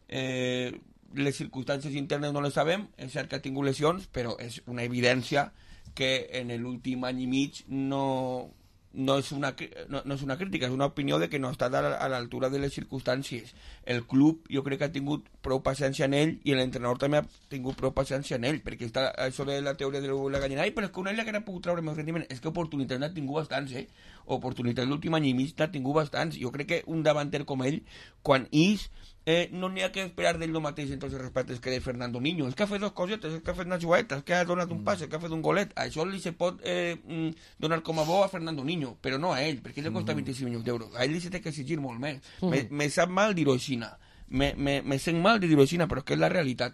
les circumstàncies internes no les sabem, és cert que ha tingut lesions, però és una evidència que en l'últim any i mig no és una crítica, és una opinió de que no ha estat a l'altura de les circumstàncies. El club jo crec que ha tingut prou paciència en ell i l'entrenador també ha tingut prou paciència en ell, perquè està això de la teoria de la gallina, però és que un ell que ha pogut treure més rendiment, és que oportunitats n'ha tingut bastants, oportunitats l'últim any i mig n'ha tingut bastants. Jo crec que un davanter com ell, quan no n'hi ha que esperar d'ell el mateix en tots els respectes que de Fernando Niño. És que ha fet dos cosetes, és que ha fet una jugadeta, és que ha donat un pas, és que ha fet un golet. Això li se pot donar com a bo a Fernando Niño, però no a ell, perquè ell li costa 25 milions d'euros. A ell li se té que exigir molt més. Me sap mal dir-ho així, me sent mal de dir-ho així, però és que és la realitat.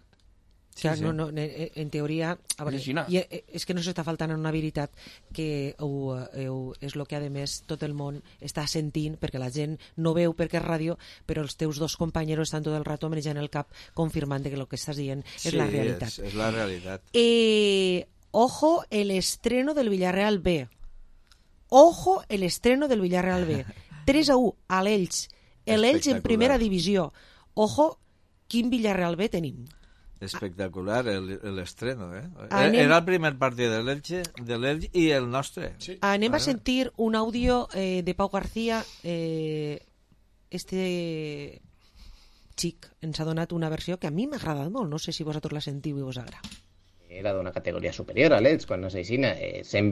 Sí. No, en teoria a veure, és que no s'està faltant una veritat que és el que a més tot el món està sentint, perquè la gent no veu perquè és ràdio, però els teus dos companys estan tot el rato menjant el cap confirmant que el que estàs dient és la realitat. Sí, és la realitat. Ojo el estreno del Villarreal B. Ojo el estreno del Villarreal B. 3-1 a l'Elx. L'Elx en primera divisió. Ojo, quin Villarreal B tenim. Espectacular l'estreno, Era el primer partit de l'Elx i el nostre. Sí. Anem a sentir un àudio de Pau García. Xic ens ha donat una versió que a mi m'ha agradat molt. No sé si vosaltres la sentiu i us agrada. Era d'una categoria superior a l'Elx, quan no s'aixina.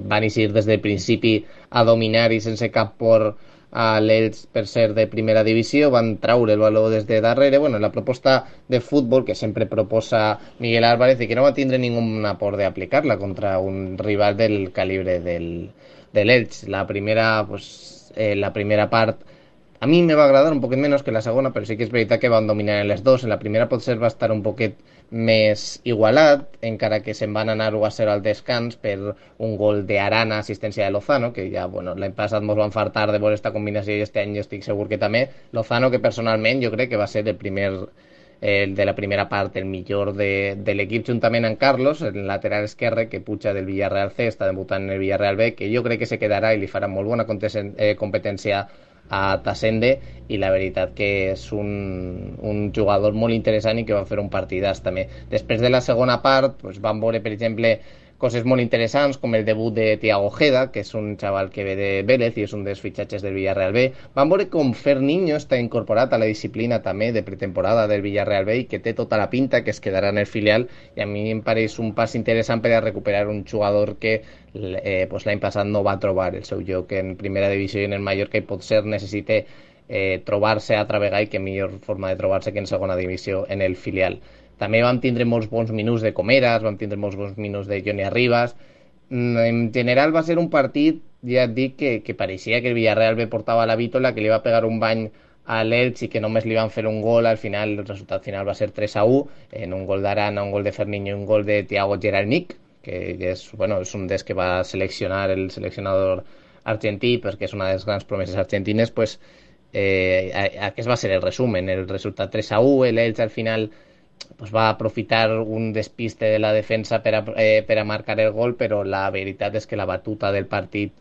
Van eixir des del principi a dominar i sense cap por a l'Elx per ser de primera divisió, van traure el valor des de darrere. Bueno, la proposta de futbol que sempre proposa Miguel Álvarez i que no va tindre ninguna por de aplicar-la contra un rival del calibre de l'Elx. La primera part a mi me va agradar un poquet menys que la segona, però sí que és veritat que van dominar en les dos. En la primera potser va estar un poquet més igualat, encara que se'n van anar 1-0 al descans per un gol d'Arana, assistència de Lozano, que ja, l'any passat ens van fartar de veure esta combinació i este any jo estic segur que també. Lozano, que personalment jo crec que va ser de la primera part el millor de l'equip, juntament amb Carlos, el lateral esquerre, que puja del Villarreal C, està debutant en el Villarreal B, que jo crec que se quedarà i li farà molt bona competència a Tasende, i la veritat que és un jugador molt interessant i que va fer un partidàs també. Després de la segona part vam veure, per exemple, coses molt interessants com el debut de Thiago Ojeda, que és un xaval que ve de Vélez i és un dels fitxatges del Villarreal B. Vam veure com Ferninho està incorporat a la disciplina també de pretemporada del Villarreal B i que té tota la pinta que es quedarà en el filial, i a mi em pareix un pas interessant per a recuperar un jugador que l'any passat no va trobar el seu lloc en primera divisió i en el Mallorca, i potser necessita trobar-se altra vegada, i que millor forma de trobar-se que en segona divisió en el filial. També vam tindre molts bons minuts de Comeras, vam tindre molts bons minuts de Johnny Arribas. En general va ser un partit, ja et dic, que pareixia que el Villarreal B portava la vítola, que li va pegar un bany a l'Elx i que només li van fer un gol. Al final, el resultat final va ser 3-1, en un gol d'Arana, un gol de Ferninho i un gol de Thiago Geralnik, que és un dels que va seleccionar el seleccionador argentí, perquè és una de les grans promeses argentines. Aquest va ser el resumen, el resultat 3-1, l'Elx al final va aprofitar un despiste de la defensa per a marcar el gol, però la veritat és que la batuta del partit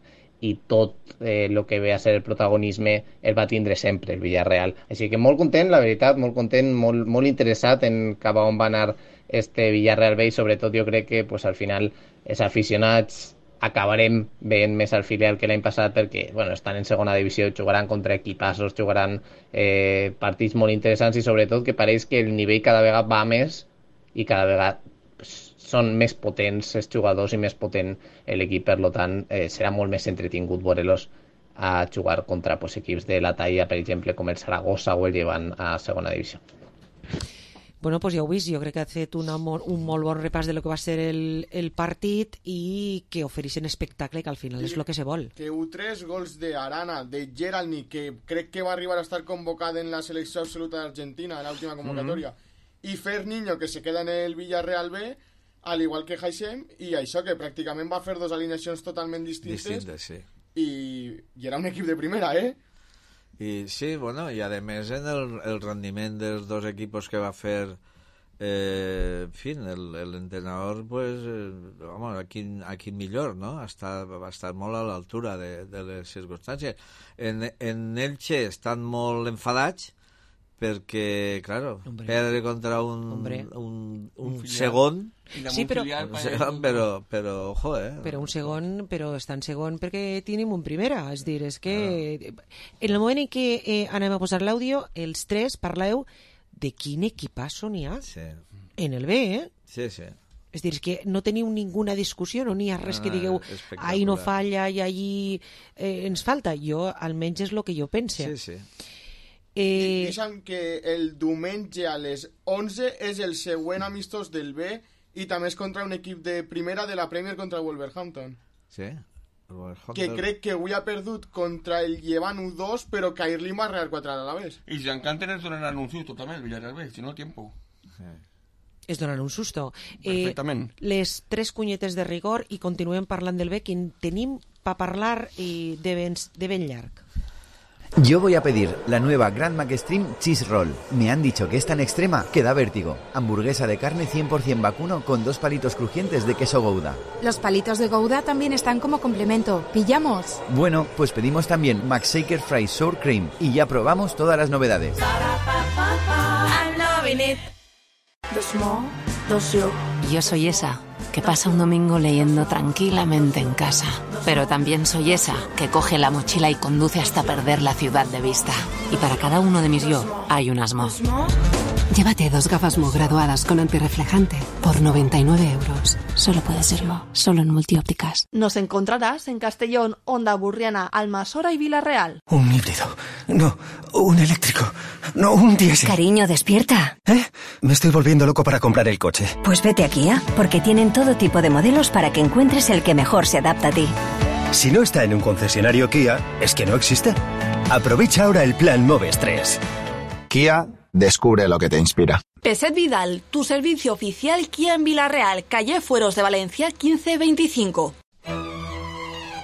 i tot el que ve a ser el protagonisme el va tindre sempre el Villarreal. Així que molt content, la veritat, molt content, molt interessat en cap a on va anar este Villarreal B, i sobretot jo crec que al final els aficionats acabarem veient més al filial que l'any passat, perquè estan en segona divisió, jugaran contra equipassos, jugaran partits molt interessants, i sobretot que pareix que el nivell cada vegada va més i cada vegada són més potents els jugadors i més potent l'equip. Per tant serà molt més entretingut veure-los a jugar contra equips de la talla, per exemple, com el Saragossa o el Llevant a segona divisió. Bueno, pues ja ho vist, jo crec que ha fet un molt bon repàs de lo que va ser el partit i que ofereixen espectacle, que al final és el que se vol. Que 3 gols d'Arana, de Geralnik, que crec que va arribar a estar convocat en la selecció absoluta d'Argentina en l'última convocatòria, i Ferniño, que se queda en el Villarreal B, al igual que Haixem, i això, que pràcticament va fer dos alineacions totalment distintes, sí. i era un equip de primera, I sí, bueno, i a més en el rendiment dels dos equipos que va fer en fin, l'entrenador, pues, vamos, aquí millor, ¿no? Va estar molt a l'altura de les circumstàncies. En Elche estan molt enfadats perquè, claro, perdre contra un segon... Sí, però ojo, Però un segon, però està en segon perquè tenim un primera, és dir, és que en el moment en què anem a posar l'àudio, els tres parleu de quin equipasso n'hi ha en el B, Sí. És dir, que no teniu ninguna discussió, no n'hi ha res que digueu ahí no falla i allí ens falta. Jo, almenys, és el que jo pense. Sí. Deixa'm que el diumenge a les 11 és el següent amistós del B i també és contra un equip de primera de la Premier contra el Wolverhampton. Sí. Que crec que avui ha perdut contra el Llevant 1-2, però que ahir li va rear 4 a la vez. Y si encanten es donar un susto también el Villarreal B, si no tiempo. Es donar un susto. Perfectament. Les tres cunyetes de rigor i continuem parlant del B, que en tenim per parlar de ben llarg. Yo voy a pedir la nueva Grand McStream Cheese Roll. Me han dicho que es tan extrema que da vértigo. Hamburguesa de carne 100% vacuno con 2 palitos crujientes de queso Gouda. Los palitos de Gouda también están como complemento. ¿Pillamos? Bueno, pues pedimos también McShaker Fries Sour Cream y ya probamos todas las novedades. I'm loving it. The small, the slow. Yo soy esa que pasa un domingo leyendo tranquilamente en casa. Pero también soy esa que coge la mochila y conduce hasta perder la ciudad de vista. Y para cada uno de mis yo hay un asmo. Llévate 2 gafas Mo graduadas con antirreflejante por 99 €. Solo puede ser Mo, solo en Multiópticas. Nos encontrarás en Castellón, Onda Burriana, Almasora y Villarreal. Un híbrido. No, un eléctrico. No, un diésel. Cariño, despierta. Me estoy volviendo loco para comprar el coche. Pues vete a Kia, porque tienen todo tipo de modelos para que encuentres el que mejor se adapta a ti. Si no está en un concesionario Kia, es que no existe. Aprovecha ahora el plan Moves 3. Kia, descubre lo que te inspira. Peset Vidal, tu servicio oficial Kia en Villarreal, calle Fueros de Valencia 1525.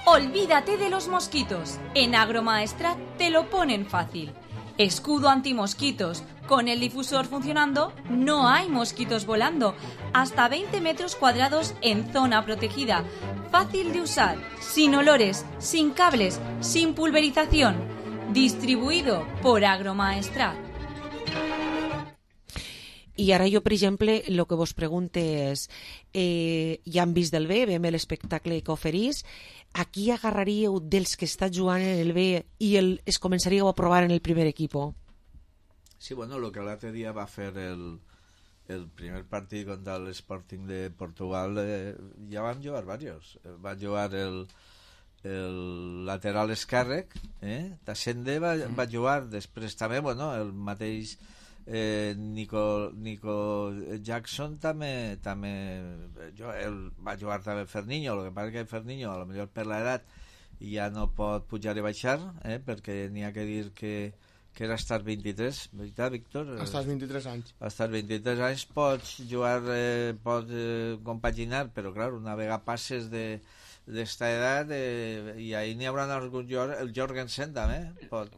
Olvídate de los mosquitos. En Agromaestrat te lo ponen fácil. Escudo antimosquitos. Con el difusor funcionando, no hay mosquitos volando. Hasta 20 metros cuadrados en zona protegida. Fácil de usar, sin olores, sin cables, sin pulverización. Distribuido por Agromaestrat. I ara jo, per exemple, el que vos pregunte és, ja han vist del B, veiem l'espectacle que oferís, a qui agarraríeu dels que està jugant en el B i es començaríeu a provar en el primer equipo? Sí, bueno, lo que l'altre dia va fer el primer partit contra l'Sporting de Portugal, ja van jugar varios. Van jugar el lateral esquerre, Tassende va jugar, després també, bueno, el mateix Nico Jackson també va jugar també Ferniño. El que passa que Ferniño, a lo millor per l'edat, ja no pot pujar i baixar, perquè n'hi ha que dir que era estar 23, veritat, Víctor? Hasta els 23 anys. Hasta els 23 anys pots jugar, pots compaginar, però clar, una vegada passes d'esta edat i ahí n'hi haurà algun jugador, el Jorgensen també pot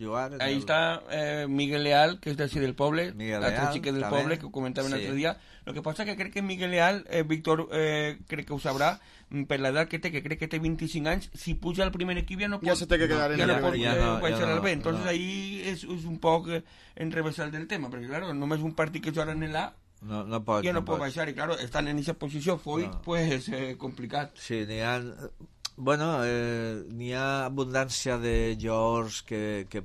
jugar. Ahí está Miguel Leal, que és d'ací del poble, l'altre xiquet del poble, que ho comentàvem l'altre dia. Lo que passa que crec que Miguel Leal, Víctor crec que ho sabrà, per l'edat que té, que crec que té 25 anys, si puja al primer equip ja no pot, ja se té que quedar en el B. Ja no pot baixar al B. Entonces ahí és un poc enrevesar del tema, perquè claro, només un partit que jugaran en l'A no pot baixar, i claro, estan en aquesta posició pues complicat. Sí, n'hi ha abundància de jugadors que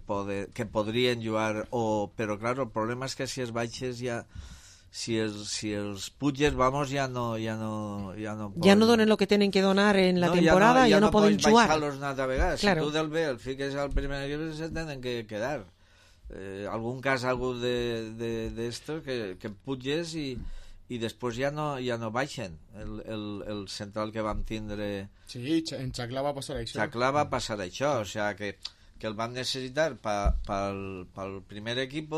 podrien jugar, però claro, el problema és que si es baixes ja, si els puges, vamos, ja no donen el que tenen que donar en la temporada, ja no poden jugar. Ja no pots baixar-los una altra vegada. Si tu del B el fiques al primer equip, se tenen que quedar. Algun cas algú d'estos que puges i després ja no baixen. El central que vam tindre... Sí, en Xaclà va passar això. O sigui que el vam necessitar pel primer equip,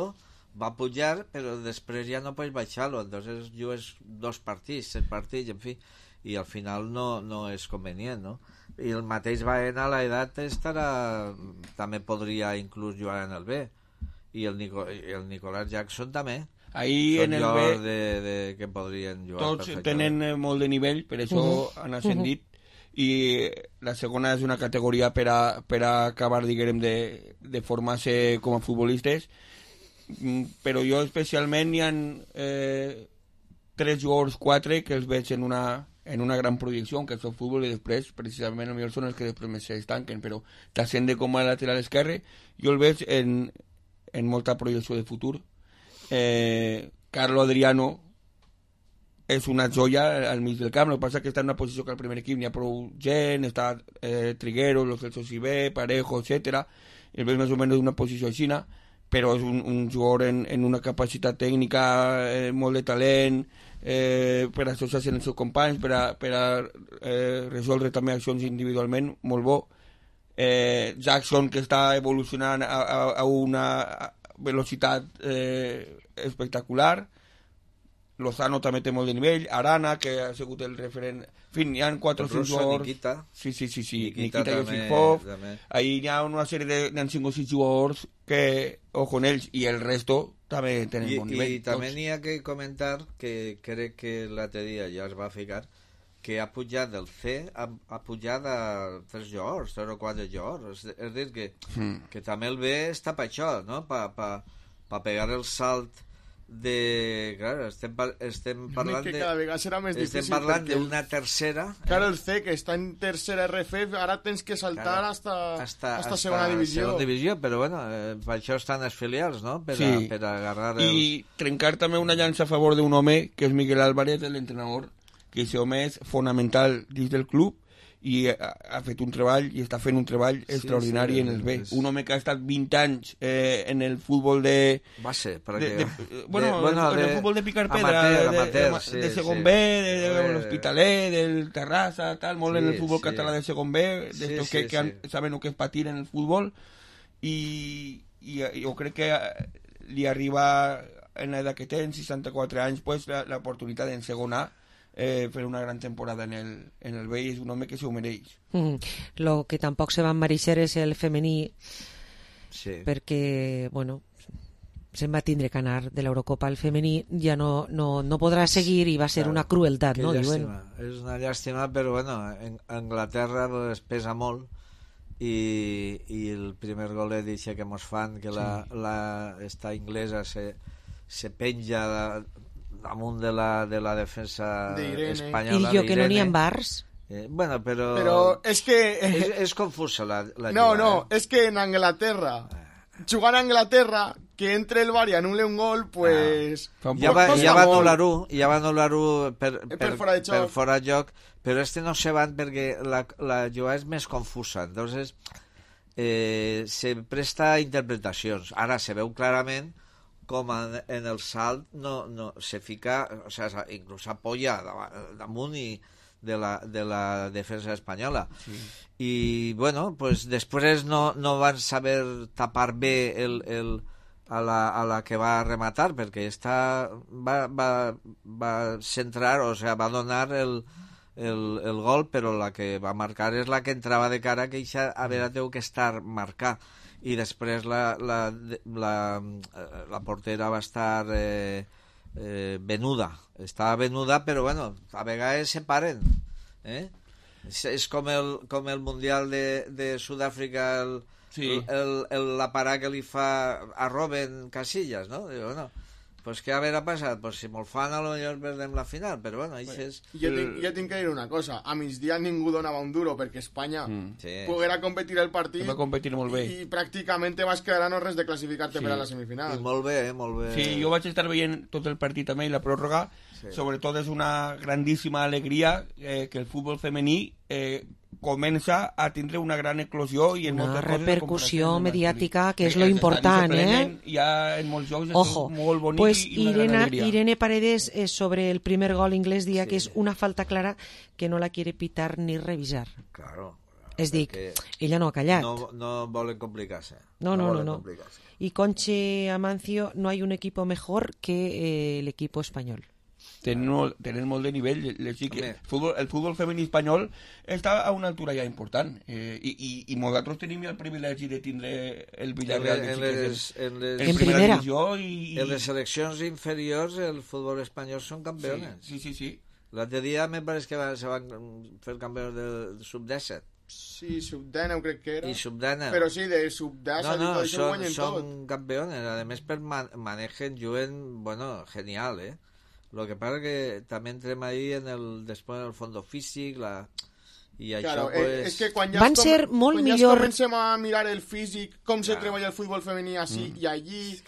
va pujar, però després ja no pots baixar-lo, entonces jugues 2 partits, 7 partits, en fi, i al final no és convenient, no? I el mateix Baena a l'edat també podria inclús jugar en el B, i el Nicolás Jackson també. Ahí són en el B que podrien jugar tots perfectament. tenen molt de nivell, per això han ascendit, i la segona és una categoria per a acabar, diguem, de formar-se com a futbolistes, però jo especialment hi ha 3 jugadors, 4 que els veig en una gran projecció, que és el futbol, i després precisament el millor són els que després més s'estanquen, però t'ascende com a lateral esquerre, jo el veig en molta projecció de futur. Carlo Adriano és una joia al mig del camp, el que passa que està en una posició que al primer equip n'hi ha prou gent, està Trigueros, Lo Celso Sibé, Parejo, etc. El veig més o menys una posició així, però és un jugador en una capacitat tècnica, molt de talent, per associar-se amb els seus companys, per a resoldre també accions individualment, molt bo. Jackson, que està evolucionant a una velocitat espectacular. Lozano també té molt de nivell, Arana, que ha sigut el referent, en fi, hi ha 4 o 5 jugadors. Nikita. Sí, Nikita Yosifov, ahí hi ha una sèrie de 5 o 6 jugadors que, ojo en ells, i el resto també tenen bon nivell. I també n'hi ha que comentar, que crec que l'altre dia ja es va ficar, que ha pujat del C, ha pujat a 3 jugadors, 3 o 4 jugadors, és a dir, que també el B està per això, no? Per pegar el salt de... Claro, estem parlant que cada vegada serà més difícil. Estem parlant d'una tercera... Claro, el C, que està en tercera RFF, ara tens que saltar hasta segona divisió. Segona divisió, però bueno, per això estan els filials, no? Per agarrar els... I trencar també una llança a favor d'un home, que és Miguel Álvarez, l'entrenador, que aquest home és fonamental dins del club, i ha fet un treball i està fent un treball extraordinari en el B. Un home que ha estat 20 anys en el futbol de... Base, en el futbol de picar pedra, de segon B, de l'Hospitalet, del Terrassa, tal, molt en el futbol català de segon B, d'estos que saben el que és patir en el futbol, i jo crec que li arriba en l'edat que té, en 64 anys, pues, l'oportunitat en segon A, fer una gran temporada en el B, i és un home que s'ho mereix. Lo que tampoc se va mereixer és el femení, perquè, bueno, se'n va tindre que anar de l'Eurocopa al femení, ja no podrà seguir i va ser una crueltat, no? És una llàstima, però bueno, en Anglaterra es pesa molt, i el primer golet dice que mos fan, que esta inglesa se penja damunt de la defensa espanyola. I jo que no n'hi ha bars. Bueno, però és que... És confusa la jugada. No, és que en Anglaterra, jugant a Anglaterra, que entre el bar i anul·le un gol, pues... Ja va anul·lar-ho per fora de joc, però no se van perquè la jugada és més confusa, entonces se presta a interpretacions. Ara se veu clarament com en el salt no se fica, o sea, inclús apoya damunt de la defensa espanyola. I bueno, pues després no van saber tapar bé a la que va rematar, perquè va centrar, o sea, va donar el gol, però la que va marcar és la que entrava de cara, que això havia que estar marcar, i després la portera va estar venuda, estava venuda, però bueno, a vegades se paren, és com el Mundial de Sud-àfrica, la parada que li fa a Robben Casillas, no? Diu, bueno, pues què haurà passat? Pues si me'l fan, potser perdem la final, però bueno, això és... Jo tinc que dir una cosa, a migdia ningú donava un duro perquè Espanya poguera competir el partit, va competir molt bé, i pràcticament te vas quedar a no res de classificar-te per a la semifinal. I molt bé, molt bé. Sí, jo vaig estar veient tot el partit també i la pròrroga, sobretot és una grandíssima alegria que el futbol femení comença a tindre una gran eclosió i en una repercussió mediàtica, que és lo important, ja en molts jocs ojo, és molt bonic, pues i una gran alegria. Irene Paredes sobre el primer gol inglés dia que és una falta clara que no la quiere pitar ni revisar. Claro. És dir, ella no ha callat. No volen complicar-se. No. Y Conche Amancio, no hay un equipo mejor que el equipo español. Tenen molt de nivell, el futbol femení espanyol està a una altura ja important i nosaltres tenim el privilegi de tindre el Villarreal en primera divisió en les seleccions inferiors el futbol espanyol són campeones. Sí. L'altre dia me pareix que se van fer campeons del sub-17. Sí, sub-19 crec que era. I sub-19. Però sí, de sub-10 són campeones. A més, per manejen, juguen, genial, Lo que pasa que també entrem ahí després en el fondo físic, i això, claro, pues... és que quan ja van ser molt millor... comencem a mirar el físic, com se treballa el futbol femení així i allí,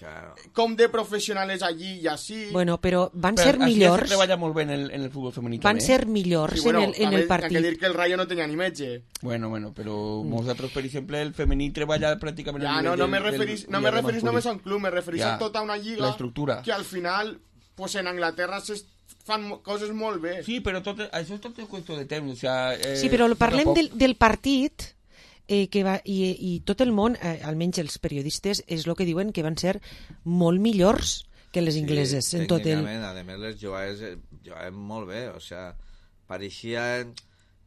com de professional és allí i així... Bueno, però van ser millors... Així se treballa molt bé en el futbol femení. Van ser millors en el partit. Hay que dir que el Rayo no tenia ni metge. Bueno, però nosaltres, per exemple, el femení treballa pràcticament... Ja, no me referís només a un club, me referís a tota una lliga que al final, pues en Anglaterra fan coses molt bé. Sí, però això és tot qüestió de temps. Sí, però parlem del partit que va, i tot el món, almenys els periodistes, és el que diuen que van ser molt millors que les ingleses. Sí, tècnicament, a més les jugaven molt bé, o sigui, pareixien,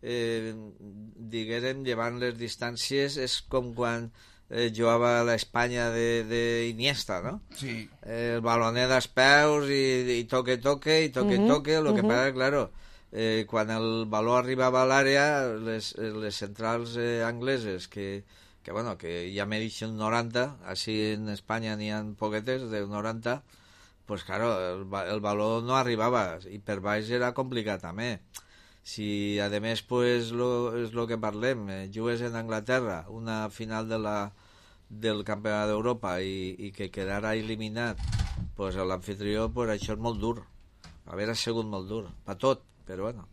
diguérem, llevant les distàncies, és com quan jugava a l'Espanya d'Iniesta, no? Sí. El balonet als peus i toque, lo que passa, claro, quan el baló arribava a l'àrea, les centrals angleses, que ja mereixen 90, així en Espanya n'hi ha poquetes de 90, pues claro, el baló no arribava, i per baix era complicat també. Si, a més, pues, és el que parlem, jugues en Anglaterra, una final del Campionat d'Europa i que quedara eliminat, pues, l'anfitrió, pues, això és molt dur. Haver sigut molt dur, per tot, però bueno.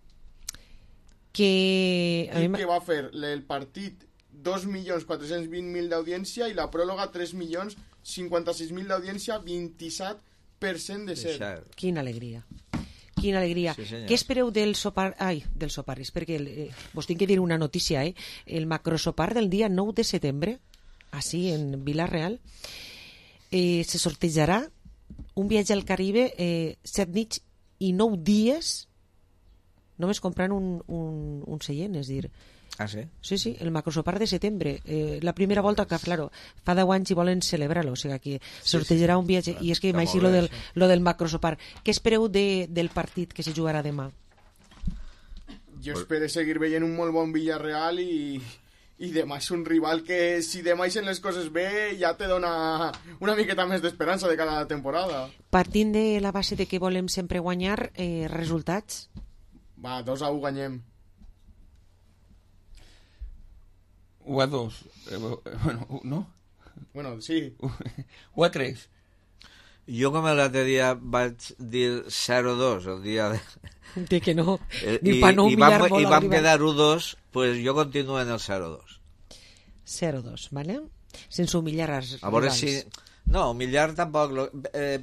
Que va fer el partit 2.420.000 d'audiència i la pròrroga 3.056.000 d'audiència, 27% de ser. Quina alegria. Quina alegria. Sí, què espereu del sopar... del sopar, és perquè vos tinc que dir una notícia, el macrosopar del dia 9 de setembre, així, en Vila-real, se sortejarà un viatge al Caribe 7 nits i 9 dies només comprant un seient, és dir... Ah, sí? Sí, el macrosopar de setembre. La primera volta que, claro, fa 10 anys i volen celebrar-lo, o sigui que sortejarà un viatge, i és que m'així lo del macrosopar. Què espereu del partit que se jugarà demà? Jo espero seguir veient un molt bon Villarreal i demà és un rival que, si demà ixen les coses bé, ja te dona una miqueta més d'esperança de cada temporada. Partint de la base de que volem sempre guanyar, resultats? Va, 2-1 guanyem. 1-2. Bueno, ¿no? Bueno, sí. 1-3. Jo, com l'altre dia vaig dir 0-2 el dia de que no, ni pa no humillar molt i vam quedar 1-2, pues jo continuo en el 0-2. 0-2, ¿vale? Sense humillar els rivals. A veure si... No, humillar tampoc,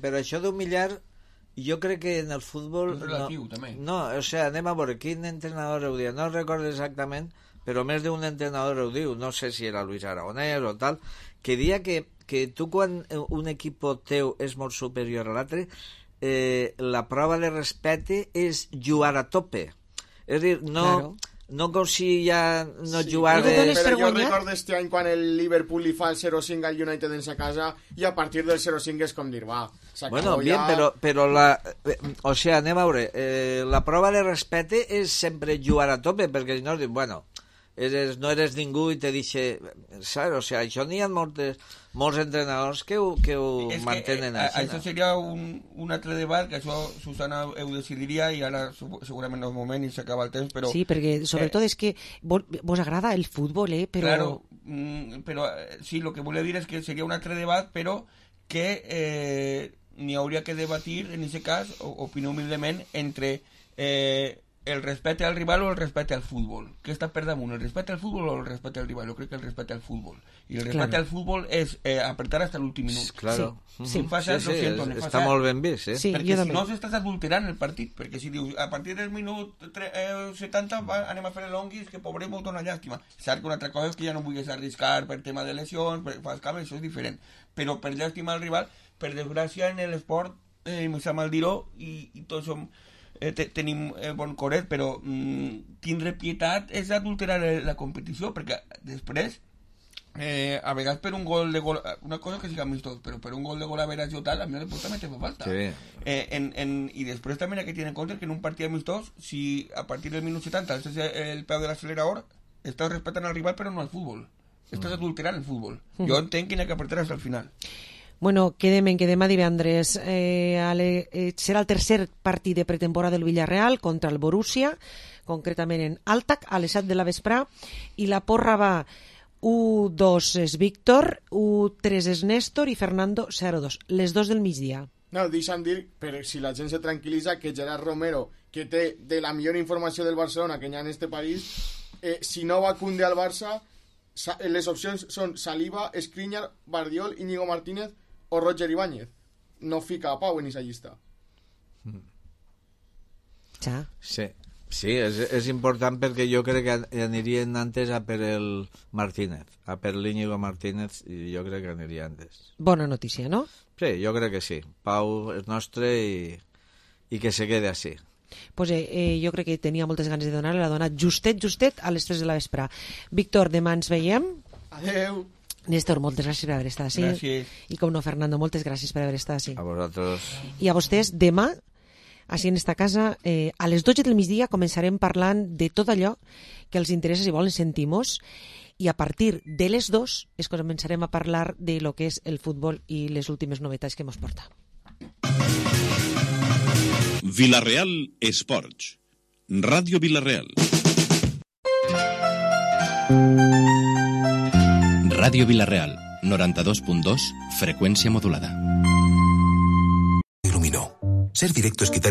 però això d'humillar, jo crec que en el futbol... És relatiu, també. No, o sigui, anem a veure quin entrenador ho diu, no recordo exactament, però més d'un entrenador ho diu, no sé si era Luis Aragonès o tal, que dia que tu quan un equip teu és molt superior a l'altre, la prova de respecte és jugar a tope. És a dir, no com si ja no jugar de... Però jo recordo este any quan el Liverpool li fa el 0-5 al United en sa casa i a partir del 0-5 és com dir, va, s'acabó bueno, bien, ja... però o sigui, anem a veure, la prova de respecte és sempre jugar a tope, perquè si no, bueno... no eres ningú i te dice, ¿sabes? O sea, això n'hi ha molts entrenadors que ho mantenen així. Això seria un altre debat, que això Susana ho decidiria i ara segurament no és moment i s'acaba el temps, però... Sí, perquè sobretot és que vos agrada el futbol, però... Claro, però sí, el que volia dir és que seria un altre debat, però que n'hi hauria que debatir, en aquest cas, opino humilment, entre el respecte al rival o el respecte al futbol. Què està per damunt, el respecte al futbol o el respecte al rival? Jo crec que el respecte al futbol. I el respecte al futbol és apretar hasta l'últim minut. Claro. Sí, està molt ben vist, sí, perquè si no s'estàs adulterant el partit, perquè si dius a partir del minut 70 anem a fer l'onguis, que pobre molt dona llàstima. Cert que una altra cosa és que ja no vulguis arriscar per tema de lesions, per fas cames, això és diferent. Però per llàstima al rival, per desgràcia en l'esport, me sap mal dir-ho, i tots som... tenim bon coret, però tindre pietat és adulterar la competició, perquè després a vegades per un gol de gol, una cosa que siga amistós, però per un gol de gol a veras o tal, a mi no també te fa falta. Sí. Y després també hay que tener en compte que en un partit amistós, si a partir del minut 70 alces el peu de l'acelerador, estàs respectant al rival però no al futbol, estàs adulterant el futbol. Jo entenc que n'hi ha que apretar fins al final. Bueno, quedem a divendres. Serà el tercer partit de pretemporada del Villarreal contra el Borussia, concretament en Altac, a les 7 de la vesprà, i la porra va 1-2 és Víctor, 1-3 és Néstor i Fernando 0-2, les 2 del migdia. No, deixa'm dir, per si la gent se tranquil·litza, que Gerard Romero, que té de la millor informació del Barcelona que hi ha en este país, si no va Koundé al Barça, les opcions són Saliba, Skriniar, Bardiol, Íñigo Martínez o Roger Ibáñez. No fica a Pau en esa llista. Sí, és important perquè jo crec que anirien antes a per el Martínez, a per l'Íñigo Martínez, i jo crec que aniria antes. Bona notícia, no? Sí, jo crec que sí. Pau és nostre i que se quede així. Pues jo crec que tenia moltes ganes de donar-li, l'ha donat justet a les 3 de la vesprà. Víctor, demà ens veiem. Adeu. Néstor, moltes gràcies per haver estat així. Gràcies. I com no, Fernando, moltes gràcies per haver estat així. A vosaltres. I a vostès, demà, així en esta casa, a les 12 del migdia començarem parlant de tot allò que els interessa, si volen, sentimos, i a partir de les 2 es començarem a parlar de lo que és el futbol i les últimes novetats que ens porta. Villarreal Esports. Ràdio Villarreal. Ràdio Villarreal, 92.2, frecuencia modulada. Iluminó. Ser directo es quitar